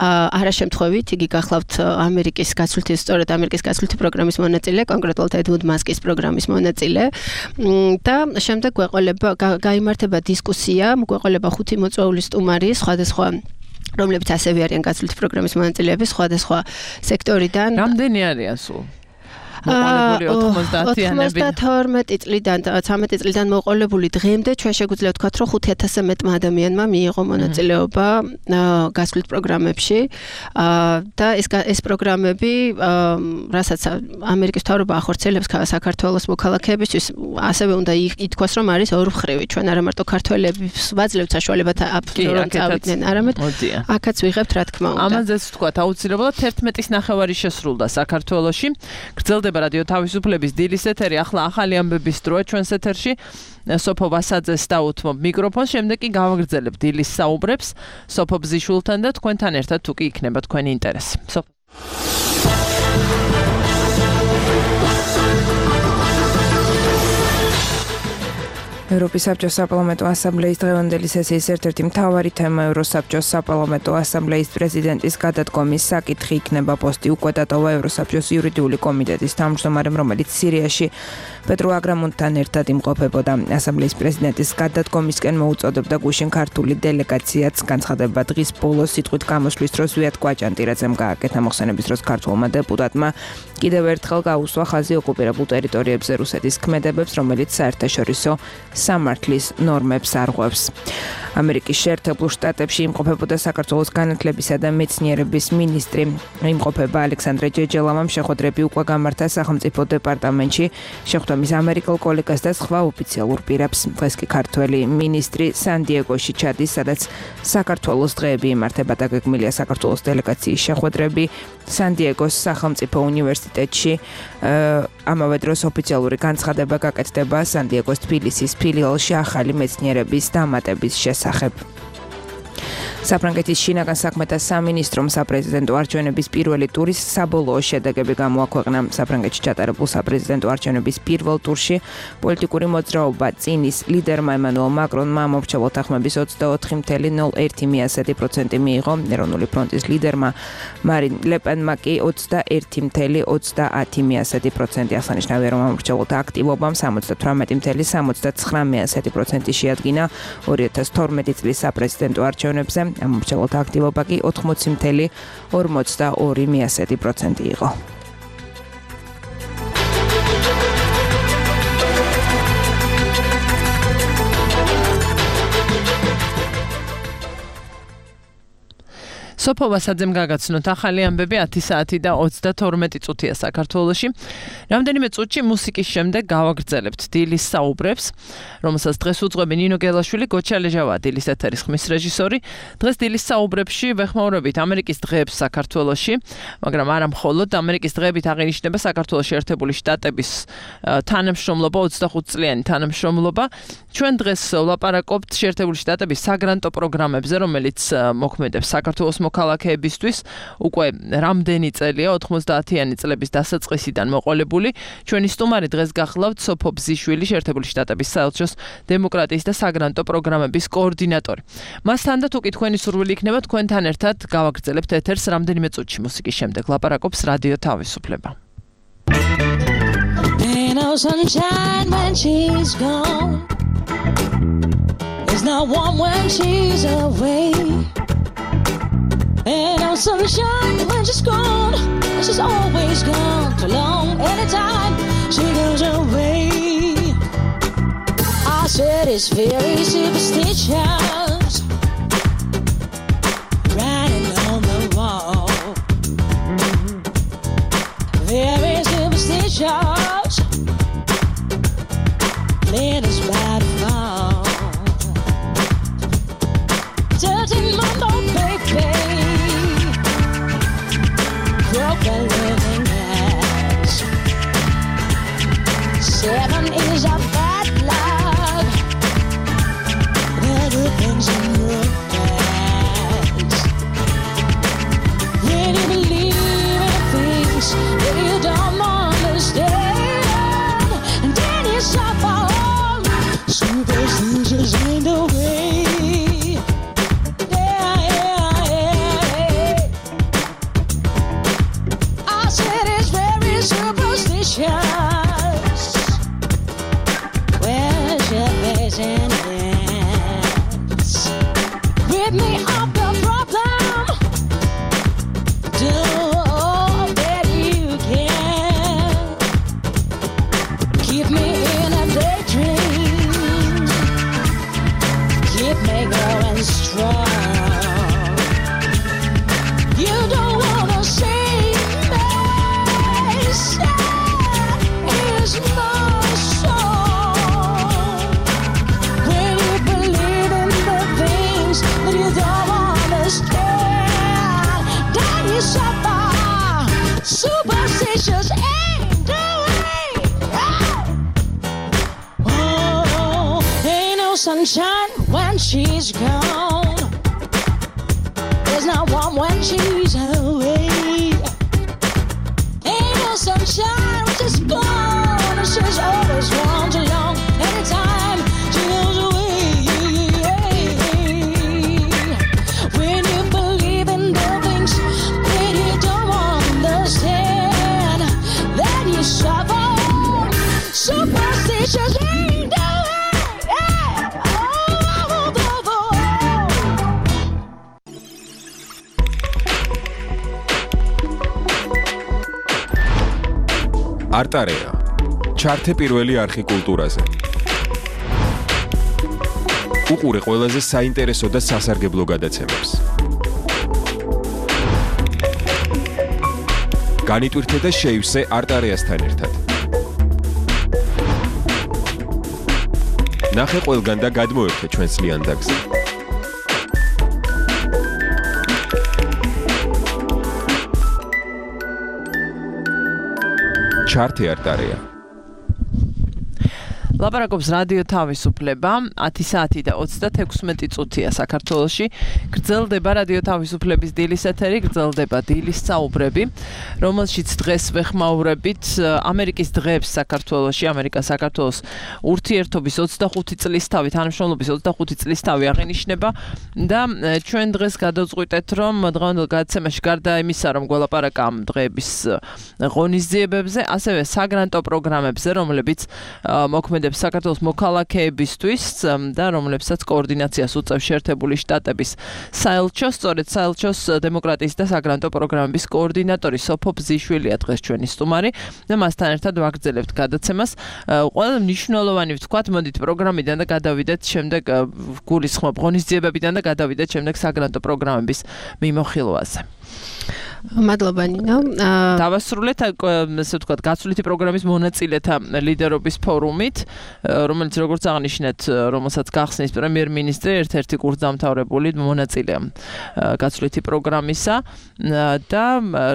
არაშემთხვევით იგი გახლავთ ამერიკის გაცვლითი სწორედ ამერიკის გაცვლითი პროგრამის მონაწილე, კონკრეტულად ედვარდ მასკის პროგრამის მონაწილე. და შემდეგ გვეყოლება გაიმართება დისკუსია, გვეყოლება ხუთი მოწვეული სტუმარი, სხვადასხვა რომლებიც ასევე არიან გაცვლითი პროგრამის მონაწილეები, სხვადასხვა სექტორიდან. რამდენი არიან სულ? მოყოლებული ოცდაათიანები. ოცდათორმეტი წლიდან ცამეტი წლიდან მოყოლებული დღემდე ჩვენ შეგვიძლია ვთქვათ, რომ ხუთ ათასზე მეტმა ადამიანმა მიიღო მონაწილეობა გაცვლით პროგრამებში და ეს ეს პროგრამები, რასაც ამერიკის მთავრობა ახორციელებს საქართველოს მოქალაქეებისთვის, ასევე უნდა ითქვას, რომ არის ორმხრივი. ჩვენ არა მარტო ქართველებს ვაძლევთ საშუალებად რომ წავიდნენ, არამედ აქაც ვიღებთ, რა თქმა უნდა. ამაზეც ვთქვათ, აუცილებლად თერთმეტის ნახევარი შესრულდა საქართველოში. გრძელდება რადიო თავისუფლების დილის ეთერი, ახლა ახალი ამბების დროა ჩვენს ეთერში. სოფო ვასაძეს დაუთმობ მიკროფონს, შემდეგ კი გავაგრძელებთ დილის საუბრებს სოფო ბზიშვილთან და თქვენთან ერთად თუ კი იქნება თქვენი ინტერესი. სოფო. ევროპის საბჭოს საპარლამენტო ასამბლეის დღევანდელი სესიის ერთ-ერთი მთავარი თემა ევროსაბჭოს საპარლამენტო ასამბლეის პრეზიდენტის გადადგომის საკითხი იქნება. პოსტი უკვე დატოვა ევროსაბჭოს იურიდიული კომიტეტის თავმჯდომარემ, რომელიც სირიაში პეტრუ აგრამუნთან ერთად იმყოფებოდა. ასამბლეის პრეზიდენტის გადადგომისკენ მოუწოდებდა გუშინ ქართული დელეგაციაც. განცხადება დღის ბოლოს სიტყვით გამოსვლის დროს ვიათ კვაჭანტირაძემ გააკეთა. მოხსენების დროს ქართულმა დეპუტატმა კიდევ ერთხელ გაუსვა ხაზი ოკუპირებულ ტერიტორიებზე რუსეთის ქმედებებს, რომელიც საერთაშორისო სამართლის ნორმებს არღვევს. ამერიკის შეერთებულ შტატებში იმყოფებოდა საქართველოს განათლებისა და მეცნიერების მინისტრი. იმყოფება ალექსანდრე ჯეჯელავამ შეხვედრები უკვე გამართა სახელმწიფო დეპარტამენტში, შეხვდომის ამერიკელ კოლეგას და სხვა ოფიციალურ პირებს. დღეს კი ქართველი მინისტრი სან-დიეგოში ჩადის, სადაც საქართველოს დღეები იმართება და გეგმილია საქართველოს დელეგაციის შეხვედრები სან-დიეგოს სახელმწიფო უნივერსიტეტში. ამავე დროს ოფიციალური განცხადება გაკეთდება სან-დიეგოს თბილისის ფილიალში ახალი მეცნიერების დამატების შესახებ. საფრანგეთის შინაგან საქმეთა სამინისტრომ საპრეზიდენტო არჩევნების პირველი ტურის საბოლოო შედეგები გამოაქვეყნა. საფრანგეთში ჩატარებულ საპრეზიდენტო არჩევნების პირველ ტურში პოლიტიკური მოძრაობა წინის ლიდერმა ემანუელ მაკრონმა მომრჩეველთა ხმების ოცდაოთხი ფاصლე ნულ ერთი პროცენტი მიიღო. ეროვნული ფრონტის ლიდერმა მარინ ლეპენმა კი ოცდაერთი ფاصლე ოცდაათი პროცენტი. აღსანიშნავია, რომ მომრჩეველთა აქტივობამ სამოცდათვრამეტი ფاصლე სამოცდათხრამეტი პროცენტი შეადგინა ორი ათას თორმეტი წლის საპრეზიდენტო არჩევნებზე. ამომრჩეველთა აქტივობა კი ოთხმოცი ფاصლე ორმოცდაორი პროცენტი იყო. სოფო ვასაძემ გაგაცნოთ ახალი ამბები ათი საათი და ოცდათორმეტი წუთია საქართველოში. რამდენიმე წუთში მუსიკის შემდეგ გავაგრძელებთ დილის საუბრებს, რომელსაც დღეს უძღვები ნინო გელაშვილი, გოჩა ლეჟავა დილის ეთერის ხმის რეჟისორი. დღეს დილის საუბრებში ვეხმაურებით ამერიკის დღეებს საქართველოში, მაგრამ არა მხოლოდ ამერიკის დღეებით აღინიშნება საქართველოს შეერთებული შტატების თანამშრომლობა, ოცდახუთ წლიანი თანამშრომლობა. ჩვენ დღეს ვლაპარაკობთ შეერთებული შტატების საგრანტო პროგრამებზე, რომელიც მოქმედებს საქართველოს მოქალაქეებისთვის უკვე რამდენი წელია, ოთხმოცდაათიანი წლების დასაწყისიდან მოყოლებული. ჩვენი სტუმარი დღეს გახლავთ სოფო ბზიშვილი, შეერთებული შტატების საელჩოს დემოკრატიის და საგრანტო პროგრამების კოორდინატორი. მასთან და თუ კი თქვენი სურვილი იქნება, თქვენთან ერთად გავაგრძელებთ ეთერს რამდენიმე წუთში მუსიკის შემდეგ. ლაპარაკობს რადიო თავისუფლება. Sunshine when she's gone. There's not one when she's away. Ain't no sunshine when she's gone. She's always gone too long. Anytime she goes away, I said it's very superstitious, writing on the wall. Very superstitious, let us ride a fall. Thirteen month old baby, broke a living when you believe in things that you don't understand, and then you suffer. Superstitious ain't the way. Yeah, yeah, yeah. I said it's very superstitious. Where's your vision? Rid me of the problem. Do all that you can. Keep me in a daydream. Keep me going strong. You don't wanna see me sad is my song. When you believe in the things that you don't understand, then you suffer. Superstitious ain't the way. Oh, ain't no sunshine when she's gone. There's no warm when she's away. Ain't no sunshine when she's gone, and she's always gone too long. Anytime she goes away. When you believe in the things that you don't understand, then you suffer. Superstitious ain't the way. Yeah. Oh, oh, oh, oh. არტარეა. ჩართე პირველი არხი კულტურაზე. უყურე ყველაზე საინტერესო და სასარგებლო გადაცემებს. განიტვირთე და შეივსე არტარეასთან ერთად. ნახე ყველგან და გადმოერთე ჩვენს ლიანდაგზე. ჩართე არტარეა. ლაპარაკობს რადიო თავისუფლება, ათი საათი და ოცდათექვსმეტი წუთია საქართველოში. გრძელდება რადიო თავისუფლების დილის ეთერი, გრძელდება დილის საუბრები, რომელშიც დღეს ვეხმაურებით ამერიკის დღეებს საქართველოში, ამერიკა საქართველოს ურთიერთობის ოცდახუთი წლისთავი, თანამშრომლობის ოცდახუთი წლისთავი აღინიშნება და ჩვენ დღეს გადავწყვიტეთ, რომ დღევანდელ გადაცემაში გარდა იმისა, რომ გველაპარაკა ამ დღეების ღონისძიებებზე, ასევე საგრანტო პროგრამებზე, რომლებიც მოქმედებს საქართველოს მოქალაქეებისთვის და რომლებსაც კოორდინაციას უწევს შეერთებული შტატების საელჩო, სწორედ საელჩოს დემოკრატიის და საგრანტო პროგრამების კოორდინატორი სოფო ბზიშვილია დღეს ჩვენი სტუმარი და მასთან ერთად ვაგრძელებთ გადაცემას. ყველა მნიშვნელოვანი ვთქვათ, მოდით პროგრამიდან და გადავიდეთ შემდეგ გულისხმობ ღონისძიებებიდან და გადავიდეთ შემდეგ საგრანტო პროგრამების მიმოხილვაზე. მადლობა ნინო. დავასრულეთ ესე ვთქვათ გაცვლითი პროგრამის მონაწილეთა ლიდერობის ფორუმით, რომელიც როგორც აღნიშნეთ, რომელსაც გახსნის პრემიერ-მინისტრი, ერთ-ერთი კურსდამთავრებული მონაწილეა გაცვლითი პროგრამისა და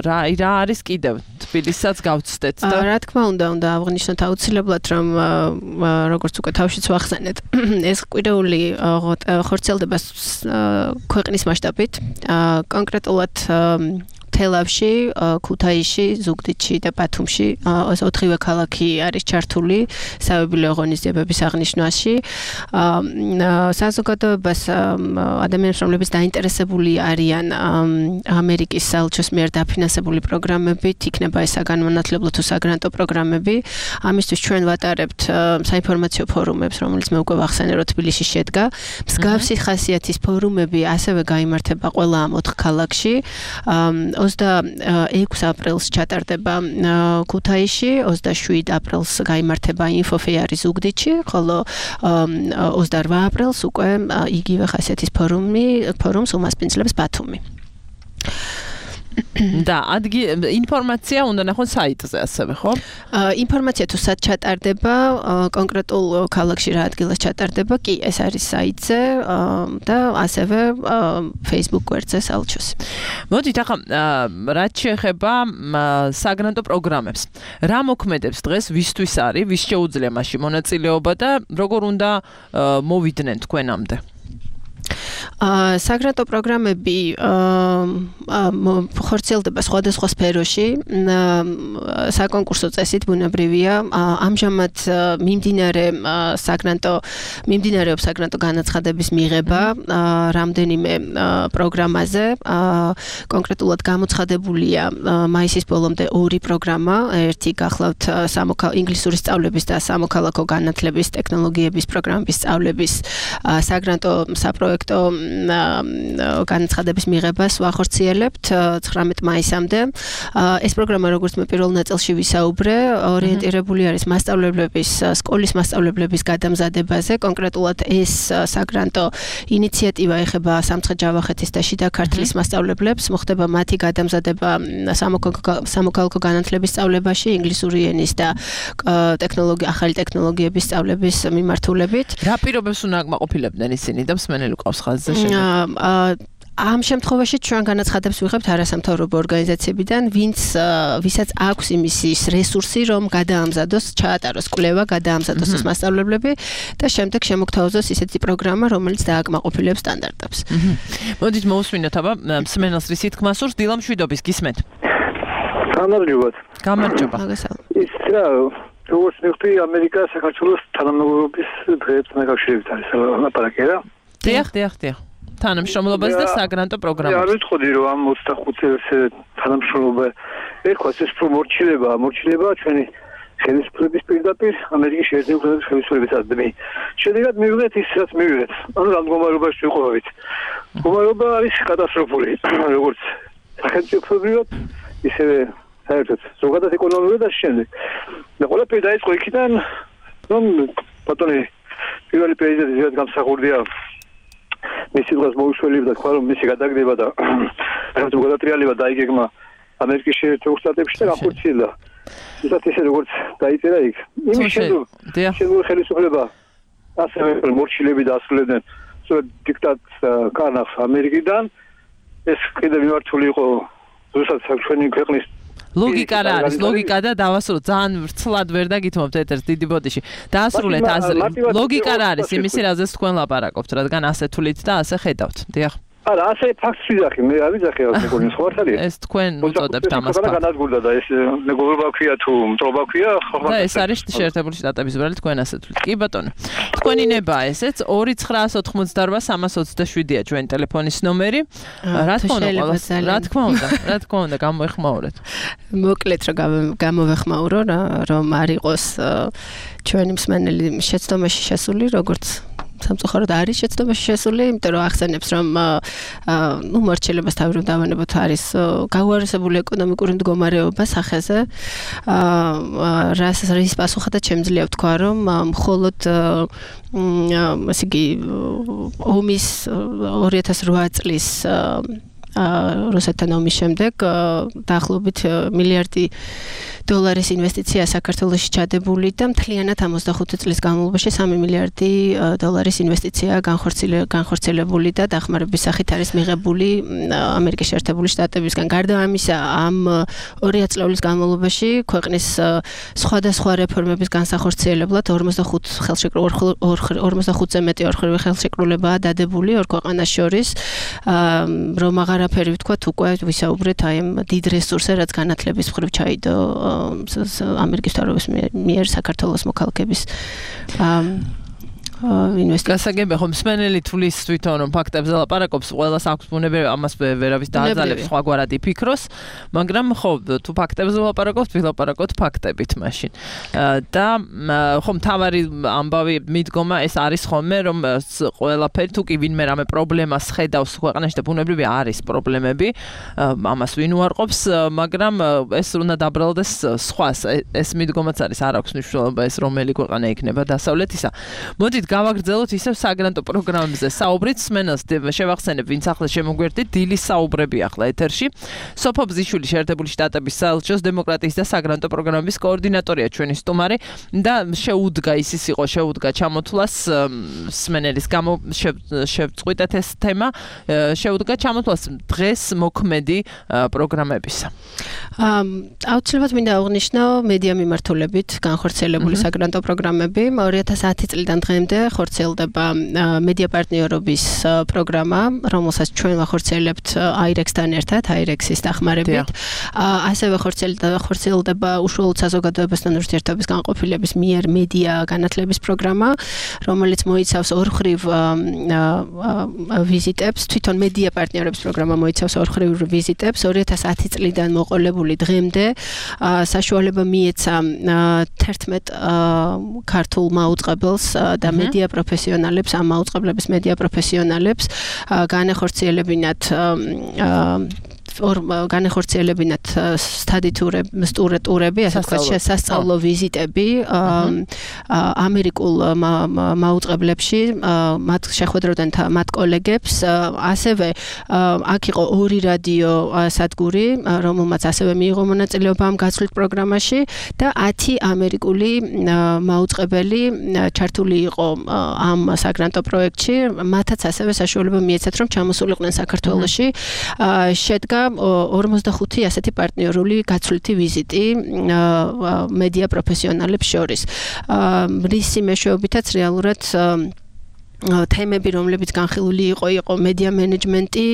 რა რა არის კიდევ თბილისსაც გავცდეთ და რა თქმა უნდა, უნდა აღნიშნოთ აუცილებლად, რომ როგორც უკვე თავშიც ვახსენეთ, ეს კვირეული ხორციელდება ქვეყნის მასშტაბით, კონკრეტულად თელავში, ქუთაისში, ზუგდიდში და ბათუმში ოთხივე ქალაქი არის ჩართული საიუბილეო ღონისძიებების აღნიშვნაში. საზოგადოებას ადამიანებს, რომლებიც დაინტერესებული არიან ამერიკის საელჩოს მიერ დაფინანსებული პროგრამებით, იქნება ეს საგანმანათლებლო თუ საგრანტო პროგრამები. ამისთვის ჩვენ ვატარებთ საინფორმაციო ფორუმებს, რომელიც მე უკვე ვახსენე, რომ თბილისში შედგა. მსგავსი ხასიათის ფორუმები ასევე გაიმართება ყველა ამ ოთხ ქალაქში. ოცდაექვსი აპრილს ჩატარდება ქუთაისში, ოცდაშვიდი აპრილს გაიმართება ინფოფეარი ზუგდიდში, ხოლო ოცდაოთხ აპრილს უკვე იგივე ხასიათის ფორუმი ფორუმს უმასპინძლებს ბათუმი. და ადგი ინფორმაცია უნდა ნახონ საიტზე ასევე, ხო? ინფორმაცია თუ სად ჩატარდება, კონკრეტულ ქალაქში რა ადგილას ჩატარდება, კი, ეს არის საიტზე და ასევე Facebook გვერდზე საელჩოს. მოდით ახლა რაც შეეხება საგრანტო პროგრამებს. რა მოქმედებს დღეს, ვისთვის არის, ვის შეუძლია მასში მონაწილეობა და როგორ უნდა მოვიდნენ თქვენამდე? საგრანტო პროგრამები ხორციელდება სხვადასხვა სფეროში. საკონკურსო წესით ბუნებრივია. ამჟამად მიმდინარე საგრანტო მიმდინარეობს საგრანტო განაცხადების მიღება რამდენიმე პროგრამაზე. კონკრეტულად გამოცხადებულია მაისის ბოლომდე ორი პროგრამა. ერთი გახლავთ ინგლისური სწავლების და სამოქალაქო განათლების ტექნოლოგიების პროგრამების სწავლების საგრანტო საპროექტო განაცხადების მიღებას ვახორციელებთ ცხრამეტ მაისამდე. ეს პროგრამა როგორც მე პირველ ნაწილში ვისაუბრე, ორიენტირებული არის მასწავლებლების, სკოლის მასწავლებლების გადამზადებაზე. კონკრეტულად ეს საგრანტო ინიციატივა ეხება სამცხე-ჯავახეთის და შიდა ქართლის მასწავლებლებს. მოხდება მათი გადამზადება სამოქალაქო განათლების სწავლებაში, ინგლისური ენის და ტექნოლოგია, ახალი ტექნოლოგიების სწავლების მიმართულებით. რა პირობებს უნდა აკმაყოფილებდნენ ისინი და მსმენელი ყავს ხაზზე შემდეგ? ამ შემთხვევაში ჩვენ განაცხადებს ვიღებთ არასამთავრობო ორგანიზაციებიდან, ვინც ვისაც აქვს იმის რესურსი, რომ გადაამზადოს, ჩაატაროს კვლევა, გადაამზადოს ეს მასწავლებლები და შემდეგ შემოგთავაზოს ისეთი პროგრამა, რომელიც დააკმაყოფილებს სტანდარტებს. მოდით მოусმინოთ აბა მსმენელს რის თქმა სურს, დილა მშვიდობის გისმენთ. გამარჯობათ. გამარჯობა. ის რა, როგორც მივხვდი, ამერიკა საქართველოს თანამდებობის დღეებთან დაკავშირებით არის ლაპარაკი რა? დიახ, დიახ, დიახ. თანამშრომლობაზე და საგრანტო პროგრამაზე. არ ვიტყოდი რომ ამ ოცდახუთ წელს თანამშრომლობა ერქვას ეს მორჩილება, მორჩილება ჩვენი ხელისუფლების პირდაპირ ამერიკის შეერთებული ხელისუფლების აზრი. შედეგად მივიღეთ ის რაც მივიღეთ. ანუ რა მდგომარეობაში ვიყავით. მდგომარეობა არის კატასტროფული, როგორც სახელმწიფოებრივად, ისევე საერთოდ ზოგადად ეკონომიკურად და შემდეგ. და ყველაფერი დაიწყო იქიდან, რომ ბატონი პირველი პრეზიდენტი რაც გამსახურდია მისი დღეს მოუშველებდა და თქვა რომ მისი გადაგდება და რაღაც გადატრიალება დაიგეგმა ამერიკის შეერთებულ შტატებში და გახორციელდა. ისეთ ისე როგორც დაიწერა იქ. იმის შემდგომ შემდგომ ხელისუფლება ასევე მორჩილები დაასრულებდნენ დიქტატს კარნახს ამერიკიდან. ეს კიდევ მიმართული იყო რუსეთის საქმენი ქვეყნის ლოგიკა რა არის? ლოგიკა და დავასრულოთ ძალიან ვრცლად ვერ დაგითმობთ ეთერს დიდი ბოდიში. დაასრულეთ აზრი. ლოგიკა რა არის იმისი, რაზეც თქვენ ლაპარაკობთ, რადგან ასე თulit და ასე ხედავთ. დიახ. არა, ასე ფაქტს ვიძახი, მე არ ვიძახი რა მეგობრებო, სხვა ხალხია. ეს თქვენ უწოდებთ ამას ფაქტს. განადგურდა და ეს მეგობრობა ქვია თუ მტრობა ქვია, ხომ? და ეს არის შეერთებული შტატების ბრალი თქვენ ასე თulit. კი ბატონო. თქვენი ნებაა ესეც ორი ცხრაას ოთხმოცდაორვა სამას ოცდაშვიდია ჩვენი ტელეფონის ნომერი. რა თქმა უნდა, რა თქმა უნდა, რა თქმა უნდა, გამოეხმაურეთ. მოკლედ რომ გამოვეხმაურო რა, რომ არ იყოს ჩვენი მსმენელი შეცდომაში შესული, როგორც სამწუხაროდ არის შეცდომაში შესული, იმიტომ რომ ახსენებს რომ ნუ მორჩილებას თავი რომ დავანებოთ არის გაუარესებული ეკონომიკური მდგომარეობა სახეზე. რას რის პასუხადაც შემიძლია ვთქვა, რომ მხოლოდ ასე იგი ომის ორი ათას რვა წლის რუსეთთან ომის შემდეგ დაახლოებით მილიარდი დოლარის ინვესტიცია საქართველოში ჩადებული და მთლიანად ოცდახუთი წლის განმავლობაში სამი მილიარდი დოლარის ინვესტიცია განხორციელებული და დახმარების სახით არის მიღებული ამერიკის შეერთებული შტატებისგან. გარდა ამისა, ამ ორი ათწლეულის განმავლობაში ქვეყნის სხვადასხვა რეფორმების განსახორციელებლად ორმოცდახუთზე მეტი ორხრივი ხელშეკრულებაა დადებული ორ ქვეყანას შორის, რომ აღარაფერი ვთქვათ, უკვე ვისაუბრეთ აი ამ დიდ რესურსზე, რაც განათლების მხრივ ჩაიდო ამერიკის მთავრობის მიერ საქართველოს მოქალაქეების ინვესტიცია. გასაგებია, ხომ მსმენელი თulis თვითონ რომ ფაქტებზე ლაპარაკობს, ყველას აქვს ბუნებრივი ამას ვერავის დააძალებს სხვაგვარად იფიქროს, მაგრამ ხო თუ ფაქტებზე ლაპარაკობთ, ვილაპარაკოთ ფაქტებით მაშინ. და ხომ თავარი ამბავი მიდგომა ეს არის ხოლმე, რომ ყველაფერი თუ კი ვინმე რამე პრობლემას ხედავს ქვეყანაში და ბუნებრივი არის პრობლემები, ამას ვინ უარყოფს, მაგრამ ეს უნდა დაბრალდეს სხვას. ეს მიდგომაც არის, არ აქვს მნიშვნელობა ეს რომელი ქვეყანა იქნება დასავლეთისა. მოდით გავაგრძელოთ ისევ საგრანტო პროგრამებზე საუბრით, მსმენელს შევახსენებ, ვინც ახლა შემოგვერდით, დილის საუბრები ახლა ეთერში. სოფო ბზიშვილი შეერთებული შტატების საელჩოს დემოკრატიის და საგრანტო პროგრამების კოორდინატორია ჩვენი სტუმარი და შეუდგა ისის იყო შეუდგა ჩამოთვლას მსმენელის გამო შევწყვიტეთ ეს თემა, შეუდგა ჩამოთვლას დღეს მოქმედი პროგრამებისა. აუცილებლად მინდა აღვნიშნო მედია მიმართულებით განხორციელებული საგრანტო პროგრამები ორი ათას ათი წლიდან დღემდე დღემდე ხორციელდება მედია პარტნიორობის პროგრამა, რომელსაც ჩვენ ვახორციელებთ აირექსთან ერთად, აირექსის დახმარებით. ასევე ხორციელდება უშუალოდ საზოგადოებასთან ურთიერთობის განყოფილების მიერ მედია განათლების პროგრამა, რომელიც მოიცავს ორხრივ ვიზიტებს, თვითონ მედია პარტნიორობის პროგრამა მოიცავს ორხრივ ვიზიტებს, ორი ათას ათი წლიდან მოყოლებული დღემდე საშუალება მიეცა თერთმეტ ქართულ მაუწყებელს და მედია პროფესიონალებს, ამ მაუწყებლების მედია პროფესიონალებს განეხორციელებინათ ორ განეხორციელებინათ სტადიურები, ტურები, ასე ვთქვათ, სასწავლო ვიზიტები ამერიკულ მაუწყებლებში, მათ შეხვედროდნენ მათ კოლეგებს, ასევე აქ იყო ორი რადიო სადგური, რომელმაც ასევე მიიღო მონაწილეობა ამ გაცვლით პროგრამაში და ათი ამერიკული მაუწყებელი ჩართული იყო ამ საგრანტო პროექტში, მათაც ასევე საშუალება მიეცათ, რომ ჩამოსულიყვნენ საქართველოში. შედგა ორმოცდახუთი ასეთი პარტნიორული გაცვლითი ვიზიტი მედია პროფესიონალებს შორის. რისი მეშვეობითაც რეალურად თემები, რომლებიც განხილული იყო, იყო მედია მენეჯმენტი,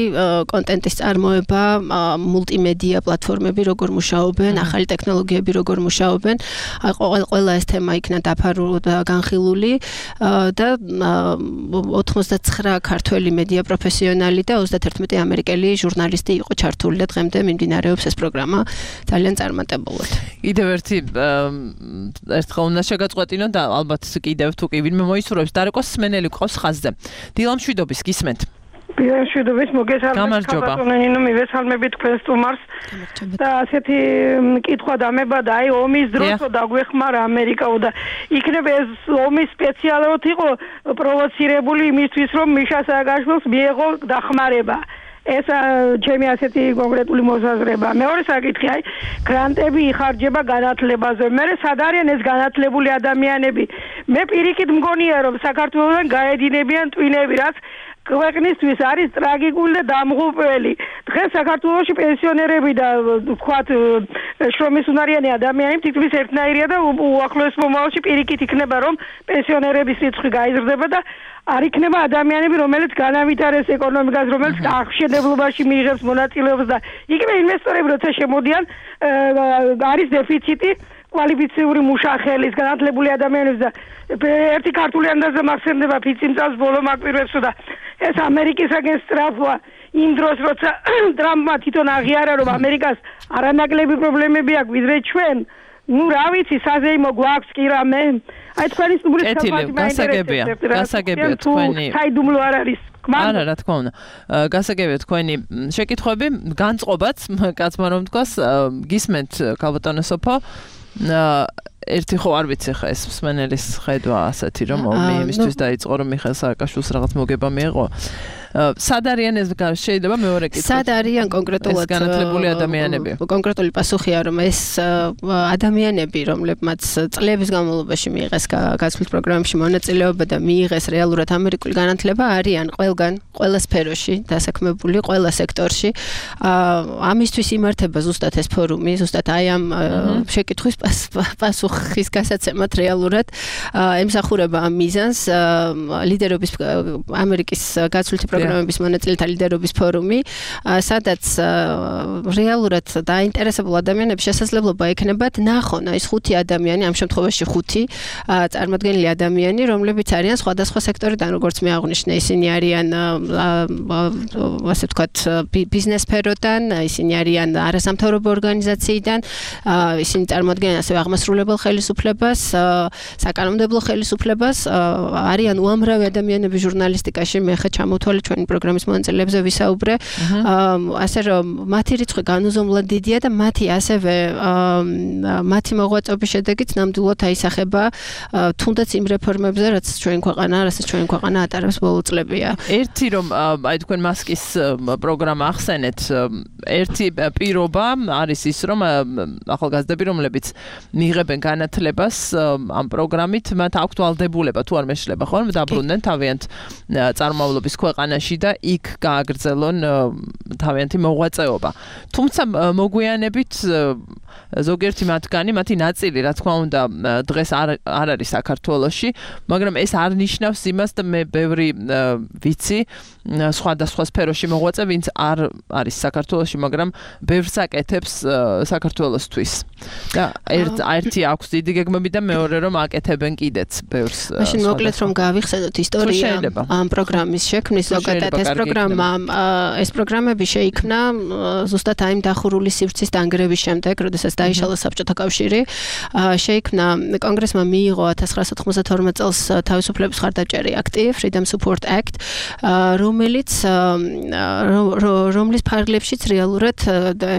კონტენტის წარმოება, მულტიმედია პლატფორმები, როგორ მუშაობენ, ახალი ტექნოლოგიები, როგორ მუშაობენ. ყველა ეს თემა იქნა დაფარული და განხილული და ოცდაცხრა ქართველი მედია პროფესიონალი და ოცდათერთმეტი ამერიკელი ჟურნალისტი იყო ჩართული და დღემდე მიმდინარეობს ეს პროგრამა ძალიან წარმატებულად. კიდევ ერთი ერთხელ უნდა შეგაწყვეტინოთ და ალბათ კიდევ თუ კი ვინმე მოისურვებს დარეკო სმენელი ყავს ხაზზე. დილამ შვიდობის გისმენთ. დილამ შვიდობის მოგესალმებით ქალბატონო მივესალმებით თქვენ სტუმარს და ასეთი კითხვა დამება და აი ომის დროსო დაგვეხმარა ამერიკაო და იქნება ეს ომი სპეციალურად იყო პროვოცირებული იმისთვის რომ მიშა სააკაშვილს მიეღო დახმარება. ეს ჩემი ასეთი კონკრეტული მოსაზრება. მეორე საკითხი, აი, გრანტები იხარჯება განათლებაზე. მე სად არიან ეს განათლებული ადამიანები? მე პირიქით მგონია, რომ საქართველოსთან გაედინებიან ტვინები, რაც ქვეყნისთვის არის ტრაგიკული და დამღუპველი. დღეს საქართველოში პენსიონერები და ვთქვათ, შრომისუნარიანი ადამიანები თითქმის ერთნაირია და უახლოეს მომავალში პირიქით იქნება, რომ პენსიონერების რიცხვი გაიზრდება და არ იქნება ადამიანები, რომელიც განავითარეს ეკონომიკას, რომელიც აღშენებლობაში მიიღებს მონაწილეობას და იქნება ინვესტორები, როცა შემოდიან, არის დეფიციტი კვალიფიციური მუშახელის, განათლებული ადამიანების და ერთი ქართული ანდაზა მახსენდება ფიცი წელს ბოლო მაკვირვებს და ეს ამერიკისაგან სწრაფვა იმ დროს, როცა ტრამპმა თვითონ აღიარა, რომ ამერიკას არანაკლები პრობლემები აქვს, ვიდრე ჩვენ. ნუ რა ვიცი, საზეიმო გვაქვს კი რამე. აი თქვენი სტუმრის კეთილი, გასაგებია, გასაგებია თქვენი. საიდუმლო არ არის. არა, რა თქმა უნდა. გასაგებია თქვენი შეკითხვები, განწყობაც, კაცმა რომ თქვას, გისმენთ ქალბატონო სოფო. ერთი ხო არ ვიცი ხა ეს მსმენელის ხედვა ასეთი რომ ომი იმისთვის დაიწყო რომ მიხეილ სააკაშვილს რაღაც მოგება მიეღო. სად არიან ეს შეიძლება მეორე კითხვა? სად არიან კონკრეტულად განათლებული ადამიანები? კონკრეტული პასუხია რომ ეს ადამიანები, რომლებმაც წლების განმავლობაში მიიღეს გაცვლით პროგრამებში მონაწილეობა და მიიღეს რეალურად ამერიკული განათლება, არიან ყველგან, ყველა სფეროში დასაქმებული, ყველა სექტორში. ამისთვის იმართება ზუსტად ეს ფორუმი, ზუსტად აი ამ შეკითხვის პასუხის გასაცემად რეალურად ემსახურება ამ მიზანს ლიდერობის ამერიკის გაცვლითი პროგრამების მონაწილეთა ლიდერობის ფორუმი, სადაც რეალურად დაინტერესებულ ადამიანებს შესაძლებლობა ექნებათ ნახონ ეს ხუთი ადამიანი, ამ შემთხვევაში ხუთი წარმოადგენელი ადამიანი, რომლებიც არიან სხვადასხვა სექტორიდან, როგორც მე აღვნიშნე, ისინი არიან ასე ვთქვათ ბიზნეს სფეროდან, ისინი არიან არასამთავრობო ორგანიზაციიდან, ისინი წარმოადგენენ ასევე აღმასრულებელ ხელისუფლებას, საკანონმდებლო ხელისუფლებას, არიან უამრავი ადამიანები ჟურნალისტიკაში, მე ხა ჩამოთვალე ჩვენი პროგრამის მონაწილეებზე ვისაუბრე, ასე რომ მათი რიცხვი განუზომლად დიდია და მათი ასევე მათი მოღვაწეობის შედეგით ნამდვილად აისახება თუნდაც იმ რეფორმებზე, რაც ჩვენ ქვეყანა, რასაც ჩვენ ქვეყანა ატარებს ბოლო წლებია. ერთი რომ აი თქვენ მასკის პროგრამა ახსენეთ, ერთი პირობა არის ის, რომ ახალგაზრდები, რომლებიც მიიღებენ განათლებას ამ პროგრამით, მათ აქვთ ვალდებულება თუ არ მეშლება, ხო, დაბრუნდნენ თავიანთ წარმომავლობის ქვეყანაში ქვეყანაში და იქ გააგრძელონ თავიანთი მოღვაწეობა. თუმცა მოგვიანებით ზოგიერთი მათგანი, მათი ნაწილი, რა თქმა უნდა, დღეს არ არ არის საქართველოში, მაგრამ ეს არ ნიშნავს იმას და მე ბევრი ვიცი სხვადასხვა სფეროში მოღვაწე, ვინც არ არის საქართველოში, მაგრამ ბევრს აკეთებს საქართველოსთვის. და ერთი აქვს დიდი გეგმები და მეორე რომ აკეთებენ კიდეც ბევრს. მაშინ მოკლედ რომ გავიხსენოთ ისტორია ამ პროგრამის შექმნის ზოგადად ეს პროგრამა ეს პროგრამები შეიქმნა ზუსტად აი დახურული სივრცის დანგრევის შემდეგ, როდესაც დაიშალა საბჭოთა კავშირი, შეიქმნა კონგრესმა მიიღო ათას ცხრაასა თხმოცდათორმეტ წელს თავისუფლების მხარდაჭერი აქტი, Freedom Support Act, რომელიც რომლის ფარგლებშიც რეალურად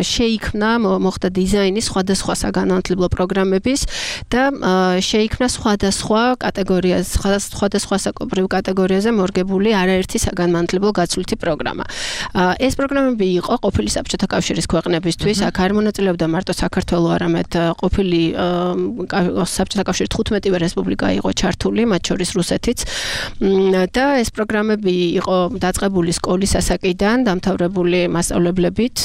შეიქმნა მოხდა დიზაინის სხვადასხვა საგანმანათლებლო პროგრამების და შეიქმნა სხვადასხვა კატეგორიაზე, სხვადასხვა საკუთრივ კატეგორიაზე მორგებული არაერთი საგანმანათლებლო გაცვლითი პროგრამა. ეს პროგრამები იყო ყოფილი საბჭოთა კავშირის ქვეყნებისთვის, აქ არ მონაწილეობდა მარტო საქართველო, არამედ ყოფილი საბჭოთა კავშირის თხუთმეტივე რესპუბლიკა იყო ჩართული, მათ შორის რუსეთიც. და ეს პროგრამები იყო დაწყებული სკოლის ასაკიდან, დამთავრებული მასწავლებლებით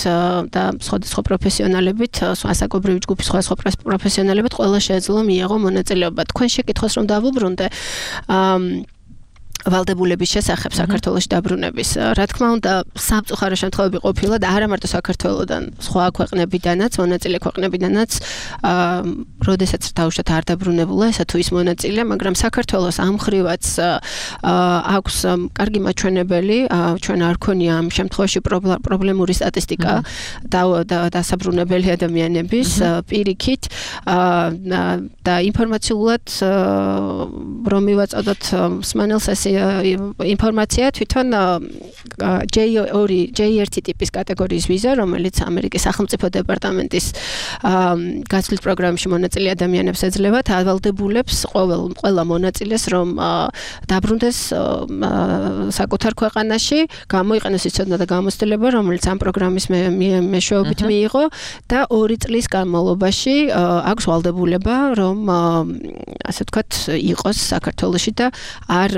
და სხვადასხვა პროფესიონალებით, ასაკობრივი ჯგუფის სხვადასხვა პროფესიონალებით, ყველა შეეძლო მიიღო მონაწილეობა. თქვენ შეკითხვას რომ დავუბრუნდე, ვალდებულების შესახებ საქართველოში დაბრუნების. რა თქმა უნდა, სამწუხარო შემთხვევები ყოფილა და არა მარტო საქართველოდან, სხვა ქვეყნებიდანაც, მონაწილე ქვეყნებიდანაც, როდესაც დაუშვათ არ დაბრუნებულა ესა თუ ის მონაწილე, მაგრამ საქართველოს ამ ხრივაც აქვს კარგი მაჩვენებელი, ჩვენ არ ქონია ამ შემთხვევაში პრობლემური სტატისტიკა დასაბრუნებელი ადამიანების პირიქით და ინფორმაციულად რომ მივაწოდოთ მსმენელს ეს ინფორმაცია თვითონ ჯეი ერთი ტიპის კატეგორიის ვიზა, რომელიც ამერიკის სახელმწიფო დეპარტამენტის გაცვლის პროგრამაში მონაწილე ადამიანებს ეძლევათ, ავალდებულებს ყველა მონაწილეს, რომ დაბრუნდეს საკუთარ ქვეყანაში, გამოიყენოს ის ცოდნა და გამოცდილება, რომელიც ამ პროგრამის მეშვეობით მიიღო და ორი წლის განმავლობაში აქვს ვალდებულება, რომ ასე ვთქვათ, იყოს საქართველოში და არ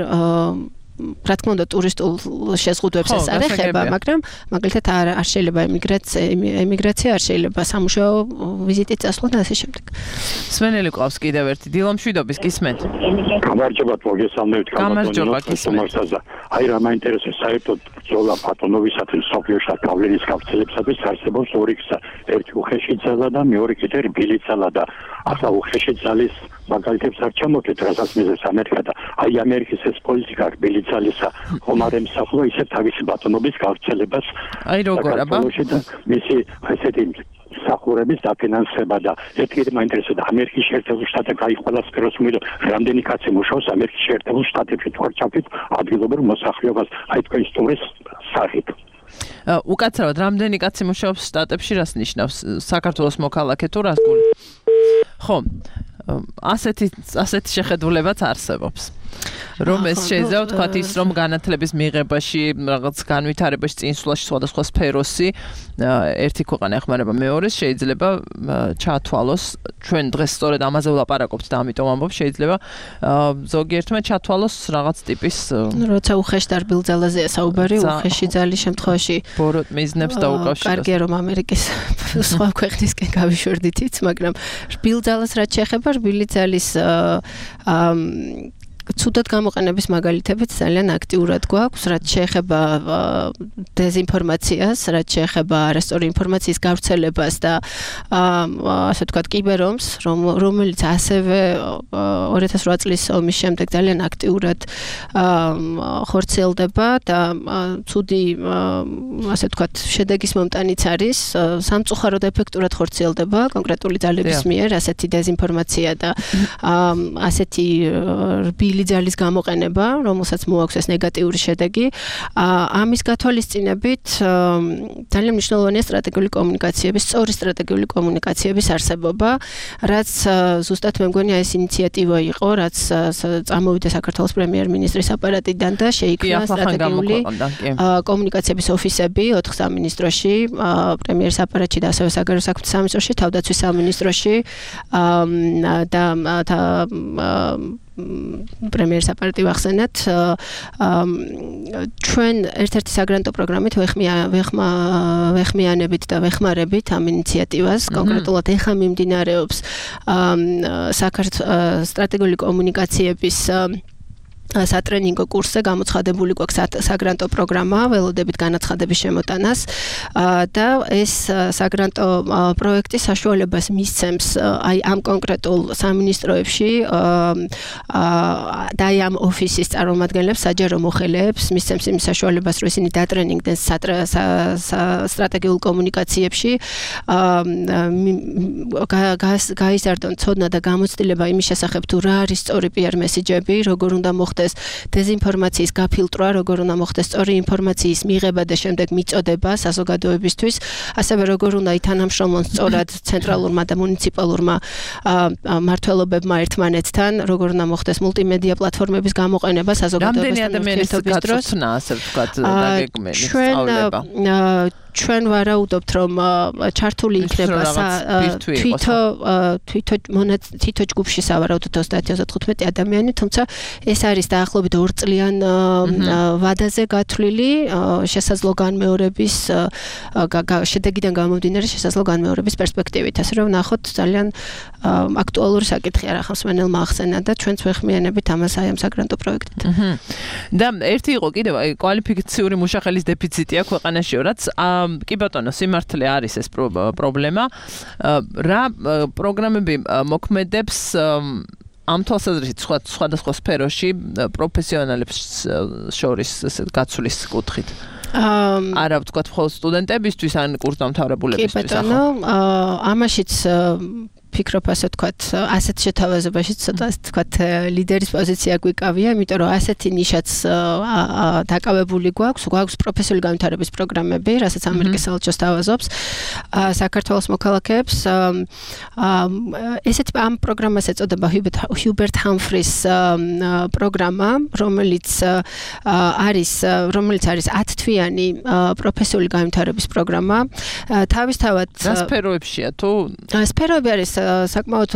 რა თქმა უნდა ტურისტულ შეზღუდვებს ეს არ ეხება, მაგრამ მაგალითად არ არ შეიძლება ემიგრაცია, ემიგრაცია არ შეიძლება სამუშაო ვიზიტით წასვლა და ასე შემდეგ. სვენელი ყავს კიდევ ერთი დილომშვიდობის გისმენთ. გამარჯობათ, მოგესალმებით, გამარჯობა გისმენთ. აი რა მაინტერესებს საერთოდ ბრძოლა ბატონობისათვის სოფლიოში გავლენის გავრცელებისათვის არსებობს ორი გზა. ერთი უხეში ძალა და მეორე კიდე რბილი ძალა და ახლა უხეში ძალის მაგალითებს არ ჩამოთვით, რასაც მიზეს ამერიკა და აი ამერიკის ეს პოლიტიკა რბილი ძალისა ხომ არ ემსახურა ისე თავისი ბატონობის გავრცელებას. აი როგორ აბა? მისი ესეთი სახურების დაფინანსება და ერთი მაინტერესებდა ამერიკის შეერთებულ შტატებში აი ყველა სფეროს მიერ რამდენი კაცი მუშაობს ამერიკის შეერთებულ შტატებში თუ არ ჩავთვით ადგილობრივ მოსახლეობას აი თქვენ ისტორიის სახით. უკაცრავად რამდენი კაცი მუშაობს შტატებში რას ნიშნავს? საქართველოს მოქალაქე თუ რას გული? ხო, ასეთი ასეთი შეხედულებაც არსებობს. რომ ეს შეიძლება ვთქვათ ის რომ განათლების მიღებაში, რაღაც განვითარებაში, წინსვლაში სხვადასხვა სფეროსი ერთი ქვეყანა ეხმარება მეორეს, შეიძლება ჩათვალოს, ჩვენ დღეს სწორედ ამაზე ვლაპარაკობთ და ამიტომ ამბობ, შეიძლება ზოგიერთმა ჩათვალოს რაღაც ტიპის როცა უხეში და რბილ ძალაზეა საუბარი, უხეში ძალის შემთხვევაში ბოროტ მიზნებს დაუკავშირებს. კარგია რომ ამერიკის სხვა ქვეყნისკენ გავიშვერდითიც, მაგრამ რბილ ძალას რაც შეეხება, რბილი ძალის ცუდად გამოყენების მაგალითებიც ძალიან აქტიურად გვაქვს, რაც შეეხება დეზინფორმაციას, რაც შეეხება არასწორი ინფორმაციის გავრცელებას და ასე ვთქვათ კიბერომს, რომელიც ასევე ორი ათას ოთხ წლის ომის შემდეგ ძალიან აქტიურად ხორციელდება და ცუდი ასე ვთქვათ შედეგის მომტანიც არის, სამწუხაროდ ეფექტურად ხორციელდება კონკრეტული ძალების მიერ ასეთი დეზინფორმაცია და ასეთი რბილი ძალის გამოყენება, რომელსაც მოაქვს ეს ნეგატიური შედეგი. ამის გათვალისწინებით ძალიან მნიშვნელოვანია სტრატეგიული კომუნიკაციების, სწორი სტრატეგიული კომუნიკაციების არსებობა, რაც ზუსტად მე მგონია ეს ინიციატივა იყო, რაც წამოვიდა საქართველოს პრემიერ-მინისტრის აპარატიდან და შეიქმნა სტრატეგიული კომუნიკაციების ოფისები ოთხ სამინისტროში, პრემიერის აპარატში და ასევე საგარეო საქმეთა სამინისტროში, თავდაცვის სამინისტროში და პრემიერს აპარატივ ახსენეთ ჩვენ ერთ-ერთი საგრანტო პროგრამით ვეხმია ვეხმა ვეხმიანებით და ვეხმარებით ამ ინიციატივას კონკრეტულად ეხა მიმდინარეობს საქართველოს სტრატეგიული კომუნიკაციების სატრენინგო კურსზე გამოცხადებული გვაქვს საგრანტო პროგრამა ველოდებით განაცხადების შემოტანას და ეს საგრანტო პროექტი საშუალებას მისცემს აი ამ კონკრეტულ სამინისტროებში და აი ამ ოფისის წარმომადგენლებს საჯარო მოხელეებს მისცემს იმ საშუალებას რომ ისინი დატრენინგდნენ სტრატეგიულ კომუნიკაციებში გაიზარდონ ცოდნა და გამოცდილება იმის შესახებ თუ რა არის სწორი პი არ მესიჯები როგორ უნდა მოხდეს დეზინფორმაციის გაფილტრვა, როგორ უნდა მოხდეს სწორი ინფორმაციის მიღება და შემდეგ მიწოდება საზოგადოებისთვის, ასევე როგორ უნდა ითანამშრომლონ სწორად ცენტრალურმა და მუნიციპალურმა მმართველობებმა ერთმანეთთან, როგორ უნდა მოხდეს მულტიმედია პლატფორმების გამოყენება საზოგადოებასთან ურთიერთობის დროს. ასე ვთქვათ, დაგეგმილი სწავლება. ჩვენ ვარაუდობთ რომ ჩართული იქნება თვითო თვითო თვითო ჯგუფში სავარაუდოდ ოცდაათი ოცდათხუთმეტი ადამიანი, თუმცა ეს არის დაახლოებით ორ წლიან ვადაზე გათვლილი შესაძლო განმეორების შედეგიდან გამომდინარე შესაძლო განმეორების პერსპექტივით, ასე რომ ნახოთ ძალიან აქტუალური საკითხია რა ხმსმენელმა ახსენა და ჩვენც ვეხმიანებით ამას აი ამ საგრანტო პროექტით. და ერთი იყო კიდევ კვალიფიციური მუშახელის დეფიციტი აქვს ქვეყანაში, რაც კი ბატონო, სიმართლე არის ეს პრობლემა. რა პროგრამები მოქმედებს ამ თვალსაზრისით სხვადასხვა სფეროში პროფესიონალებს შორის ესეთ გაცვლის კუთხით? არა ვთქვათ მხოლოდ სტუდენტებისთვის ან კურსდამთავრებულებისთვის. კი ბატონო, ამაშიც ფიქრობ ასე ვთქვათ, ასეთ შეთავაზებაში ცოტა ასე ვთქვათ ლიდერის პოზიცია გვიკავია, იმიტომ რომ ასეთი ნიშაც დაკავებული გვაქვს, გვაქვს პროფესიული განვითარების პროგრამები, რასაც ამერიკის საელჩოს თავაზობს საქართველოს მოქალაქეებს. ესეთი ამ პროგრამას ეწოდება ჰიუბერტ ჰამფრის პროგრამა, რომელიც არის რომელიც არის ათ თვიანი პროფესიული განვითარების პროგრამა. თავისთავად რა სფეროებშია თუ სფეროები არის საკმაოდ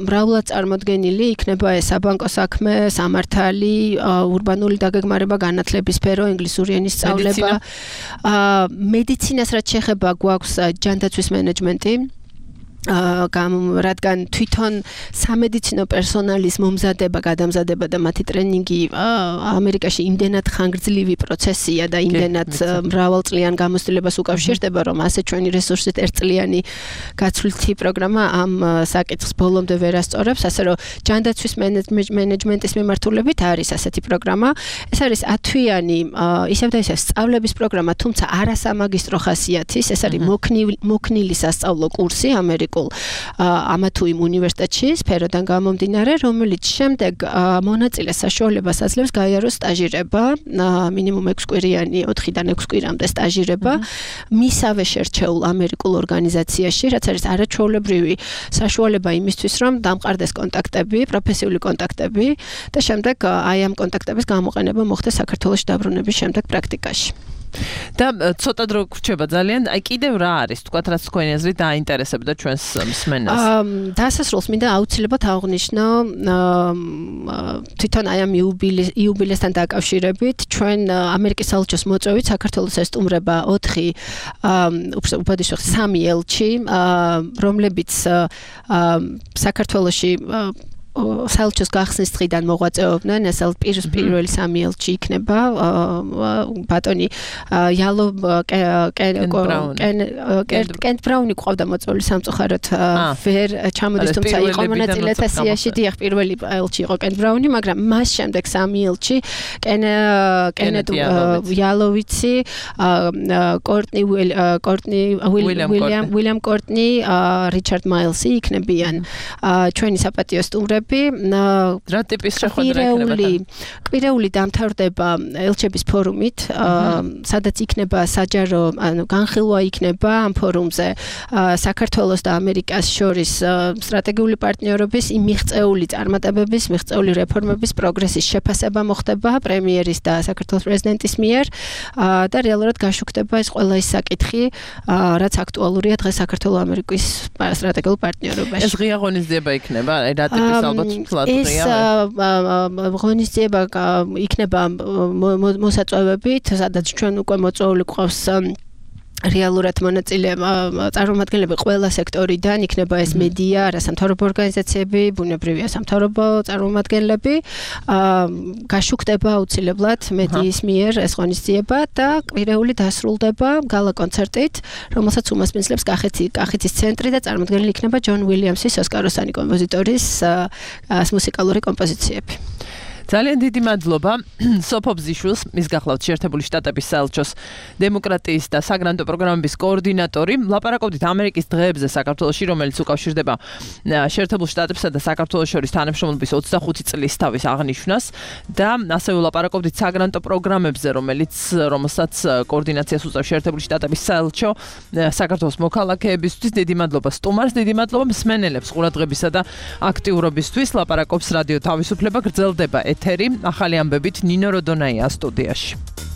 მრავლად წარმოდგენილი, იქნება ეს საბანკო საქმე, სამართალი, ურბანული დაგეგმარება, განათლების სფერო, ინგლისური ენის სწავლება, მედიცინას რაც შეეხება გვაქვს ჯანდაცვის მენეჯმენტი. რადგან თვითონ სამედიცინო პერსონალის მომზადება, გადამზადება და მათი ტრენინგი ამერიკაში იმდენად ხანგრძლივი პროცესია და იმდენად მრავალწლიან გამოცდილებას უკავშირდება, რომ ასე ჩვენი რესურსით ერთწლიანი გაცვლითი პროგრამა ამ საკითხს ბოლომდე ვერ ასწორებს, ასე რომ ჯანდაცვის მენეჯმენტის მიმართულებით არის ასეთი პროგრამა. ეს არის ათთვიანი ისევ და ისევ სწავლების პროგრამა, თუმცა არასამაგისტრო ხასიათის, ეს არის მოქნილი სასწავლო კურსი ამერიკაში ამა თუ იმ უნივერსიტეტში სფეროდან გამომდინარე, რომელიც შემდეგ მონაწილეს საშუალებას აძლევს გაიაროს სტაჟირება, მინიმუმ ექვს კვირიანი, ოთხიდან ექვს კვირამდე სტაჟირება მისავე შერჩეულ ამერიკულ ორგანიზაციაში, რაც არის არაჩვეულებრივი საშუალება იმისთვის, რომ დამყარდეს კონტაქტები, პროფესიული კონტაქტები და შემდეგ აი ამ კონტაქტების გამოყენება მოხდეს საქართველოში დაბრუნების შემდეგ პრაქტიკაში. და ცოტა დრო გრჩება ძალიან. აი კიდევ რა არის, თქვათ რაც თქვენი აზრით დაინტერესებდა ჩვენს მსმენელს? დასასრულს მინდა აუცილებლად აღვნიშნო თვითონ აი ამ იუბილესთან დაკავშირებით ჩვენ ამერიკის საელჩოს მოწვევით საქართველოს ესტუმრება ოთხი უბადიშო სამი ელჩი, რომლებიც საქართველოში საელჩოს გახსნის დღიდან მოღვაწეობდნენ. ეს პირველი სამი ელჩი იქნება ბატონი იალო კენტ ბრაუნი ყავდა მოწვეული სამწუხაროდ ვერ ჩამოდის, თუმცა იყო მონაწილე სესიაში. დიახ, პირველი ელჩი იყო კენტ ბრაუნი, მაგრამ მას შემდეგ სამი ელჩი კენეტ იალოვიცი, კორტნი კორტნი უილიამ კორტნი, რიჩარდ მაილსი იქნებიან ჩვენი საპატიო სტუმრები. რა ტიპის შეხვედრა იქნება? კვირეული დამთავრდება ელჩების ფორუმით, სადაც იქნება საჯარო, ანუ განხილვა იქნება ამ ფორუმზე საქართველოს და ამერიკას შორის სტრატეგიული პარტნიორობის, იმ მიღწეული წარმატებების, მიღწეული რეფორმების პროგრესის შეფასება მოხდება პრემიერის და საქართველოს პრეზიდენტის მიერ და რეალურად გაშუქდება ეს ყველა ის საკითხი, რაც აქტუალურია დღეს საქართველოს ამერიკის სტრატეგიულ პარტნიორობაში. ეს ღია ღონისძიება იქნება, რა ტიპის ალბათ ფლატია. ეს ღონისძიება იქნება მოსაწვევებით, სადაც ჩვენ უკვე მოწვეული გვყავს რეალურად მონაწილე წარმომადგენლები ყველა სექტორიდან, იქნება ეს მედია, არასამთავრობო ორგანიზაციები, ბუნებრივია სამთავრობო წარმომადგენლები, გაშუქდება აუცილებლად მედიის მიერ ეს ღონისძიება და კვირეული დასრულდება გალა კონცერტით, რომელსაც უმასპინძლებს კახეთის ცენტრი და წარმოდგენილი იქნება ჯონ უილიამსის ოსკაროსანი კომპოზიტორის მუსიკალური კომპოზიციები. ძალიან დიდი მადლობა სოფო ბზიშვილს, მის გახლავთ შეერთებული შტატების საელჩოს დემოკრატიის და საგრანტო პროგრამების კოორდინატორი. ლაპარაკობდით ამერიკის დღეებზე საქართველოში, რომელიც უკავშირდება შეერთებულ შტატებსა და საქართველოს შორის თანამშრომლობის ოცდახუთი წლის თავის აღნიშვნას და ასევე ლაპარაკობდით საგრანტო პროგრამებზე, რომელიც რომელსაც კოორდინაციას უწევს შეერთებული შტატების საელჩო საქართველოს მოქალაქეებისთვის. დიდი მადლობა სტუმარს, დიდი მადლობა მსმენელებს ყურადღებისა და აქტიურობისთვის. ლაპარაკობს რადიო თავისუფლება, გრძელდება ეთერი ახალი ამბებით ნინო როდონაია სტუდიაში.